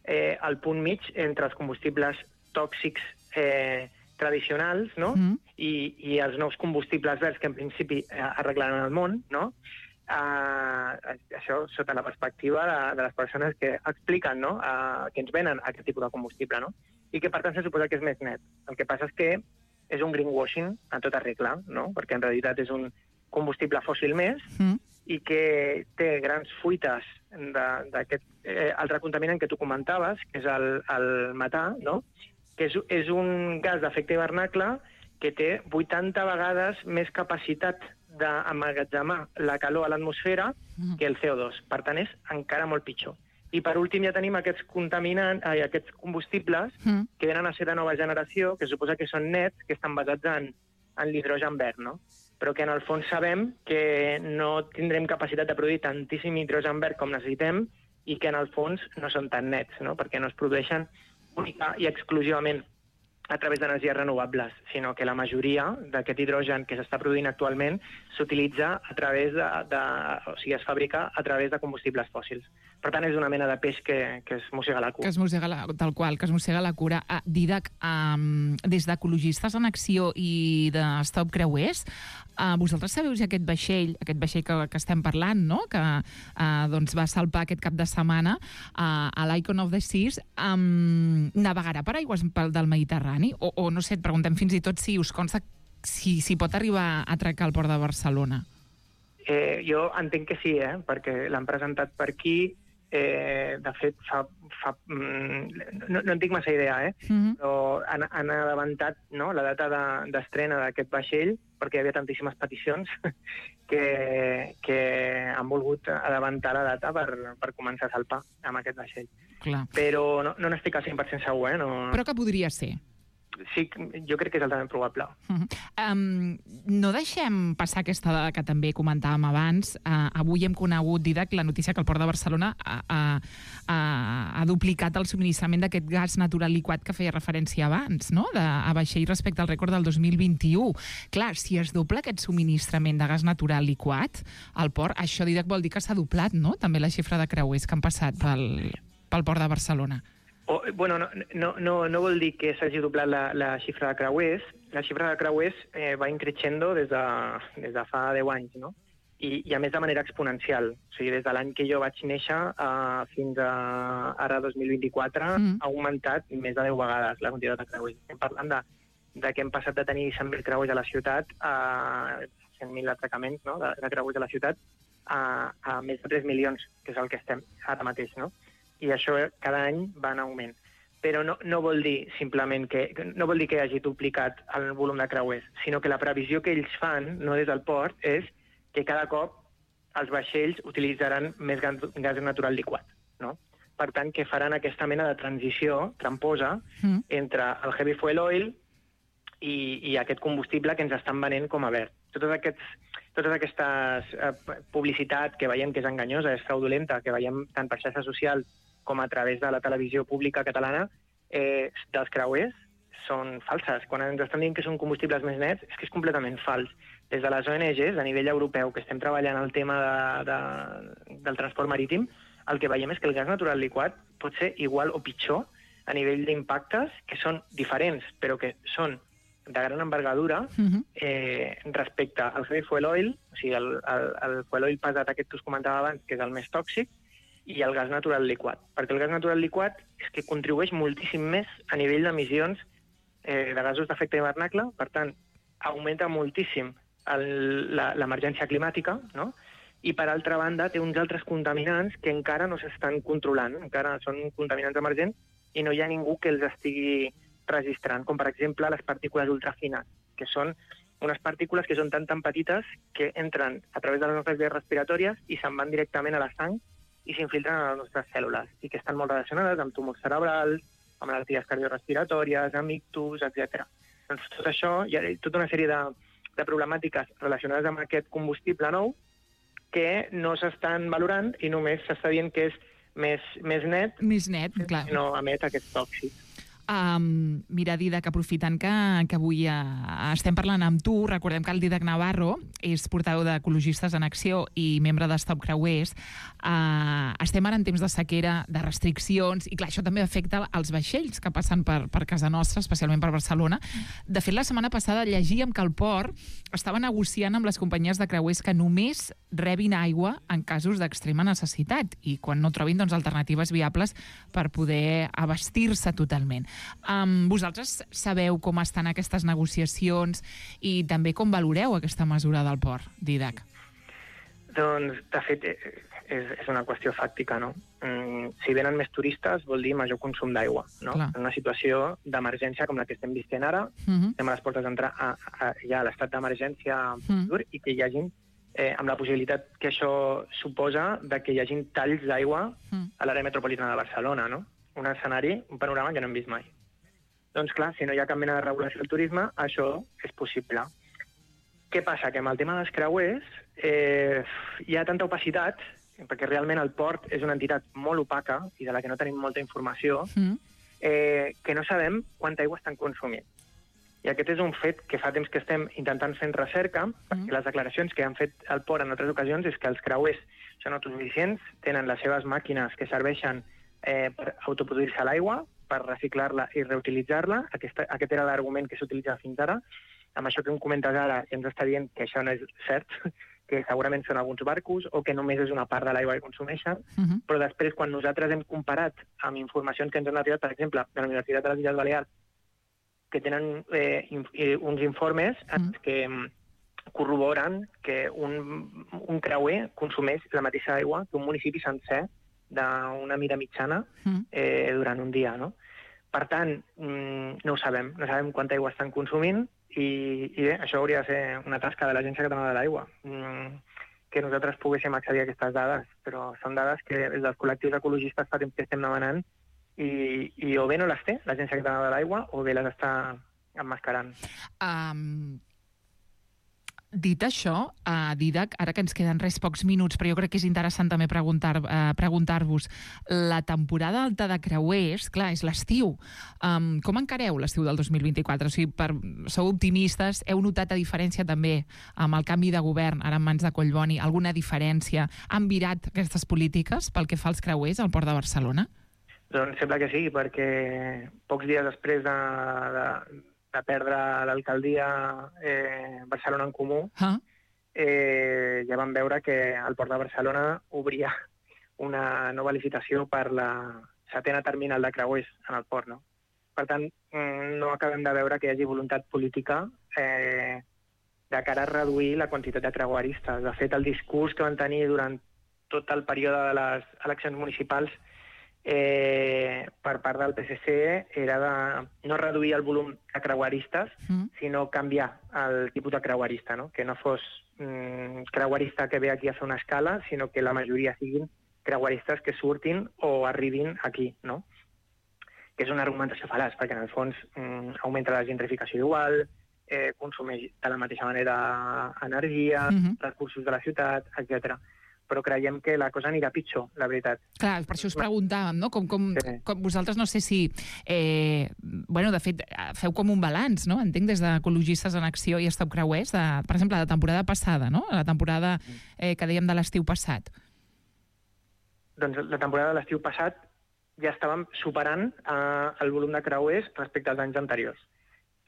eh, el punt mig entre els combustibles tòxics eh, tradicionals, no? Mm. I, i els nous combustibles verds que en principi eh, arreglaran el món, no? Uh, això sota la perspectiva de, de les persones que expliquen, no? Uh, que ens venen aquest tipus de combustible, no? I que per tant se suposa que és més net. El que passa és que és un greenwashing a tota regla, no? Perquè en realitat és un combustible fòssil més mm. i que té grans fuites d'aquest eh, altre contaminant que tu comentaves, que és el, el metà, no? Que és, és un gas d'efecte hivernacle que té vuitanta vegades més capacitat d'emmagatzemar la calor a l'atmosfera mm. que el C O dos. Per tant, és encara molt pitjor. I per últim ja tenim aquests contaminants, ai, aquests combustibles mm. que venen a ser de nova generació, que suposa que són nets, que estan basats en, en l'hidrogen verd, no? Però que en el fons sabem que no tindrem capacitat de produir tantíssim hidrogen verd com necessitem i que en el fons no són tan nets, no? Perquè no es produeixen única i exclusivament a través d'energies renovables, sinó que la majoria d'aquest hidrogen que s'està produint actualment s'utilitza a través de, de... o sigui, es fabrica a través de combustibles fòssils. Per tant, és una mena de peix que, que es mossega la cura. Que es mossega la, tal qual, que es mossega la cura. Uh, Dídac, um, des d'Ecologistes en Acció i de Stop Creuers, uh, vosaltres sabeu si aquest vaixell, aquest vaixell que, que estem parlant, no? Que uh, doncs va salpar aquest cap de setmana uh, a l'Icon of the Seas, um, navegarà per aigües del Mediterrani? O, o no sé, et preguntem fins i tot si us consta si, si pot arribar a atracar al Port de Barcelona. Eh, jo entenc que sí, eh? Perquè l'han presentat per aquí. Eh, de fet, fa, fa, mm, no, no en tinc massa idea, eh? Mm-hmm. Però han, han avançat, no?, la data d'estrena de, d'aquest vaixell, perquè hi havia tantíssimes peticions que, que han volgut avançar la data per, per començar a salpar amb aquest vaixell. Clar. Però no, no n'estic al cent per cent segur, eh? No... Però que podria ser? Sí, jo crec que és altament probable. Uh-huh. Um, no deixem passar aquesta dada que també comentàvem abans. Uh, avui hem conegut, Didac, la notícia que el Port de Barcelona ha, ha, ha, ha duplicat el subministrament d'aquest gas natural liquat que feia referència abans, no? De, a vaixell respecte al rècord del dos mil vint-i-u. Clar, si es dobla aquest subministrament de gas natural liquat al port, això, Didac, vol dir que s'ha doblat, no?, també la xifra de creuers que han passat pel, pel Port de Barcelona. O, bueno, no, no, no, no vol dir que s'hagi doblat la, la xifra de creuers. La xifra de creuers eh, va increixendo des de, des de fa deu anys, no? I, I a més de manera exponencial. O sigui, des de l'any que jo vaig néixer uh, fins a ara dos mil vint-i-quatre mm. ha augmentat més de deu vegades la quantitat de creuers. Estem parlant de, de que hem passat de tenir cent mil creuers a la ciutat a cent mil atracaments, no?, de, de creuers a la ciutat a, a més de tres milions, que és el que estem ara mateix, no? I això cada any va en augment. Però no, no vol dir simplement que no vol dir que hagi duplicat el volum de creuers, sinó que la previsió que ells fan, no des del port, és que cada cop els vaixells utilitzaran més gas natural liquat, no? Per tant, que faran aquesta mena de transició tramposa mm. entre el heavy fuel oil i, i aquest combustible que ens estan venent com a verd. Totes aquests, totes aquestes eh, publicitat que veiem que és enganyosa, és fraudulenta, que veiem tant per xarxes socials com a través de la televisió pública catalana, eh, dels creuers, són falses. Quan ens estan dient que són combustibles més nets, és que és completament fals. Des de les O N Ges, a nivell europeu, que estem treballant el tema de, de, del transport marítim, el que veiem és que el gas natural liquat pot ser igual o pitjor a nivell d'impactes, que són diferents, però que són de gran envergadura uh-huh. eh, respecte al heavy fuel oil, o sigui, el, el, el fuel oil pesat aquest que us comentava abans, que és el més tòxic, i el gas natural liquat. Perquè el gas natural liquat és que contribueix moltíssim més a nivell d'emissions eh, de gasos d'efecte hivernacle, per tant, augmenta moltíssim l'emergència climàtica, no? I, per altra banda, té uns altres contaminants que encara no s'estan controlant, encara són contaminants emergents i no hi ha ningú que els estigui registrant, com, per exemple, les partícules ultrafines, que són unes partícules que són tan tan petites que entren a través de les nostres vies respiratòries i se'n van directament a la sang i s'infiltren a les nostres cèl·lules, i que estan molt relacionades amb tumors cerebrals, amb malalties cardiorrespiratòries, amb ictus, etcètera. Doncs tot això, hi ha tota una sèrie de, de problemàtiques relacionades amb aquest combustible nou que no s'estan valorant i només s'està dient que és més, més net, més net, clar. No emet aquests tòxics. Um, mira, Didac, aprofitant que, que avui uh, estem parlant amb tu, recordem que el Didac Navarro és portaveu d'Ecologistes en Acció i membre de Stop Creuers. Uh, estem ara en temps de sequera, de restriccions, i clar, això també afecta els vaixells que passen per, per casa nostra, especialment per Barcelona. De fet, la setmana passada llegíem que el port estava negociant amb les companyies de creuers que només rebin aigua en casos d'extrema necessitat i quan no trobin, doncs, alternatives viables per poder abastir-se totalment. Um, vosaltres sabeu com estan aquestes negociacions i també com valoreu aquesta mesura del port, Didac? Doncs, de fet, és, és una qüestió fàctica, no? Mm, si venen més turistes vol dir major consum d'aigua, no? Clar. En una situació d'emergència com la que estem visquent ara, uh-huh. estem a les portes d'entrar a, a, ja a l'estat d'emergència uh-huh. i que hi hagin, eh, amb la possibilitat que això suposa de que hi hagin talls d'aigua uh-huh. a l'àrea metropolitana de Barcelona, no? Un escenari, un panorama que no hem vist mai. Doncs clar, si no hi ha cap mena de regulació del turisme, això és possible. Què passa? Que amb el tema dels creuers eh, hi ha tanta opacitat, perquè realment el port és una entitat molt opaca i de la que no tenim molta informació, mm. eh, que no sabem quanta aigua estan consumint. I aquest és un fet que fa temps que estem intentant fent recerca, mm. perquè les declaracions que han fet el port en altres ocasions és que els creuers són autosuficients, tenen les seves màquines que serveixen Eh, per autoproduir-se l'aigua, per reciclar-la i reutilitzar-la. Aquest, aquest era l'argument que s'utilitza fins ara. Amb això que em comentes ara ens està dient que això no és cert, que segurament són alguns barcos o que només és una part de l'aigua que consumeixen, uh-huh. però després, quan nosaltres hem comparat amb informacions que ens han arribat, per exemple, de la Universitat de les Illes Balears, que tenen eh, in, eh, uns informes uh-huh. que corroboren que un, un creuer consumeix la mateixa aigua que un municipi sencer d'una mida mitjana eh, durant un dia, no? Per tant, mm, no ho sabem, no sabem quanta aigua estan consumint i, i bé, això hauria de ser una tasca de l'Agència Catalana de l'Aigua, mm, que nosaltres poguéssim accedir a aquestes dades, però són dades que des dels col·lectius ecologistes fa temps que estem demanant i, i o bé no les té l'Agència Catalana de l'Aigua o bé les està emmascarant. Um... Dit això, uh, Dídac, ara que ens queden res pocs minuts, però jo crec que és interessant també preguntar, uh, preguntar-vos, la temporada alta de creuers, clar, és l'estiu. Um, com encareu l'estiu del dos mil vint-i-quatre? O sigui, per, sou optimistes, heu notat a diferència també amb el canvi de govern, ara en mans de Collboni, alguna diferència? Han virat aquestes polítiques pel que fa als creuers al Port de Barcelona? Doncs sembla que sí, perquè pocs dies després de, de, de perdre l'alcaldia eh, Barcelona en Comú, ah. eh, ja vam veure que el Port de Barcelona obria una nova licitació per la setena terminal de creuers en el port. No? Per tant, no acabem de veure que hi hagi voluntat política eh, de cara a reduir la quantitat de creueristes. De fet, el discurs que van tenir durant tot el període de les eleccions municipals Eh, per part del P S C era de no reduir el volum de creueristes, mm. sinó canviar el tipus de creuerista, no? Que no fos mm, creuerista que ve aquí a fer una escala, sinó que la majoria siguin creueristes que surtin o arribin aquí, no? Que és una argumentació fal·laç, perquè en el fons mm, augmenta la gentrificació igual, eh, consumeix de la mateixa manera energia, mm-hmm. recursos de la ciutat, etcètera. Però creiem que la cosa anirà pitjor, la veritat. Clar, per això us preguntàvem, no? Com, com, sí. com vosaltres, no sé si... Eh, bueno, de fet, feu com un balanç, no? Entenc, des d'Ecologistes en Acció i Stop Creuers, de, per exemple, la temporada passada, no? La temporada eh, que dèiem de l'estiu passat. Doncs la temporada de l'estiu passat ja estàvem superant eh, el volum de creuers respecte als anys anteriors.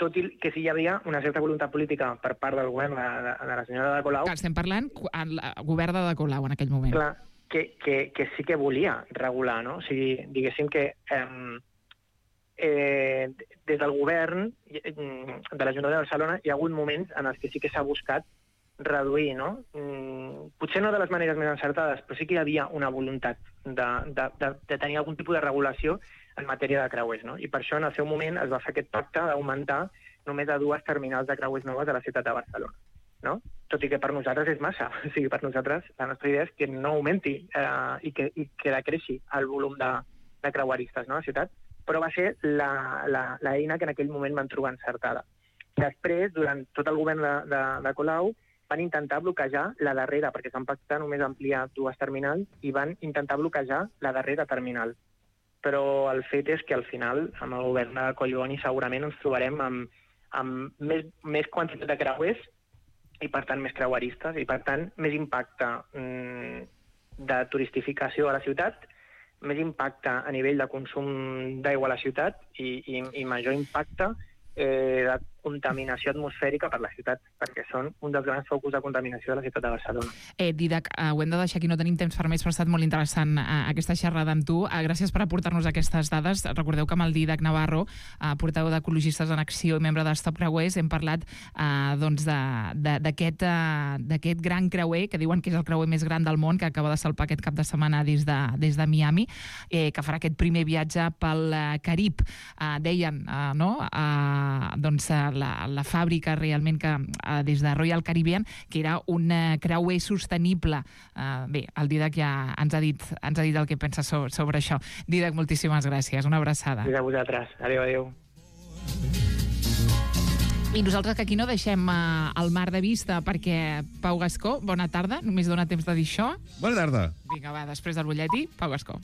Tot i que sí hi havia una certa voluntat política per part del govern de, de, de la senyora Ada Colau... Clar, estem parlant del govern d'Ada Colau en aquell moment. Clar, que, que, que sí que volia regular, no? O sigui, diguéssim que eh, eh, des del govern de l'Ajuntament de Barcelona hi ha hagut moments en els que sí que s'ha buscat reduir, no? Mm, potser no de les maneres més encertades, però sí que hi havia una voluntat de, de, de, de tenir algun tipus de regulació en matèria de creuers, no? I per això en el seu moment es va fer aquest pacte d'augmentar només a dues terminals de creuers noves a la ciutat de Barcelona, no? Tot i que per nosaltres és massa. O sigui, per nosaltres la nostra idea és que no augmenti eh, i, que, i que decreixi el volum de, de creueristes, no?, a la ciutat, però va ser l'eina que en aquell moment van trobar encertada. Després, durant tot el govern de, de, de Colau, van intentar bloquejar la darrera, perquè es van pactar només ampliar dues terminals, i van intentar bloquejar la darrera terminal. Però el fet és que al final, amb el govern de Collboni, segurament ens trobarem amb, amb més, més quantitat de creuers i, per tant, més creueristes i, per tant, més impacte mm, de turistificació a la ciutat, més impacte a nivell de consum d'aigua a la ciutat i, i, i major impacte eh, de contaminació atmosfèrica per la ciutat, perquè són un dels grans focus de contaminació de la ciutat de Barcelona. Eh, Dídac, eh, ho hem de deixar aquí, no tenim temps per més, però ha estat molt interessant eh, aquesta xerrada amb tu. Eh, gràcies per aportar-nos aquestes dades. Recordeu que amb el Dídac Navarro, eh, portaveu d'Ecologistes en Acció i membre de Stop Creuers, hem parlat eh, doncs d'aquest eh, gran creuer, que diuen que és el creuer més gran del món, que acaba de salpar aquest cap de setmana des de, des de Miami, eh, que farà aquest primer viatge pel eh, Carib. Eh, deien, eh, no?, eh, doncs, eh, La, la fàbrica realment que eh, des de Royal Caribbean, que era un eh, creuer sostenible. Eh, bé, el Dídac ja ens ha dit, ens ha dit el que pensa so, sobre això. Dídac, moltíssimes gràcies. Una abraçada. Gràcies a vosaltres. Adéu, adéu. I nosaltres que aquí no deixem eh, el mar de vista, perquè Pau Gascó, bona tarda. Només dona temps de dir això. Bona tarda. Vinga, va, després del butlletí, Pau Gascó.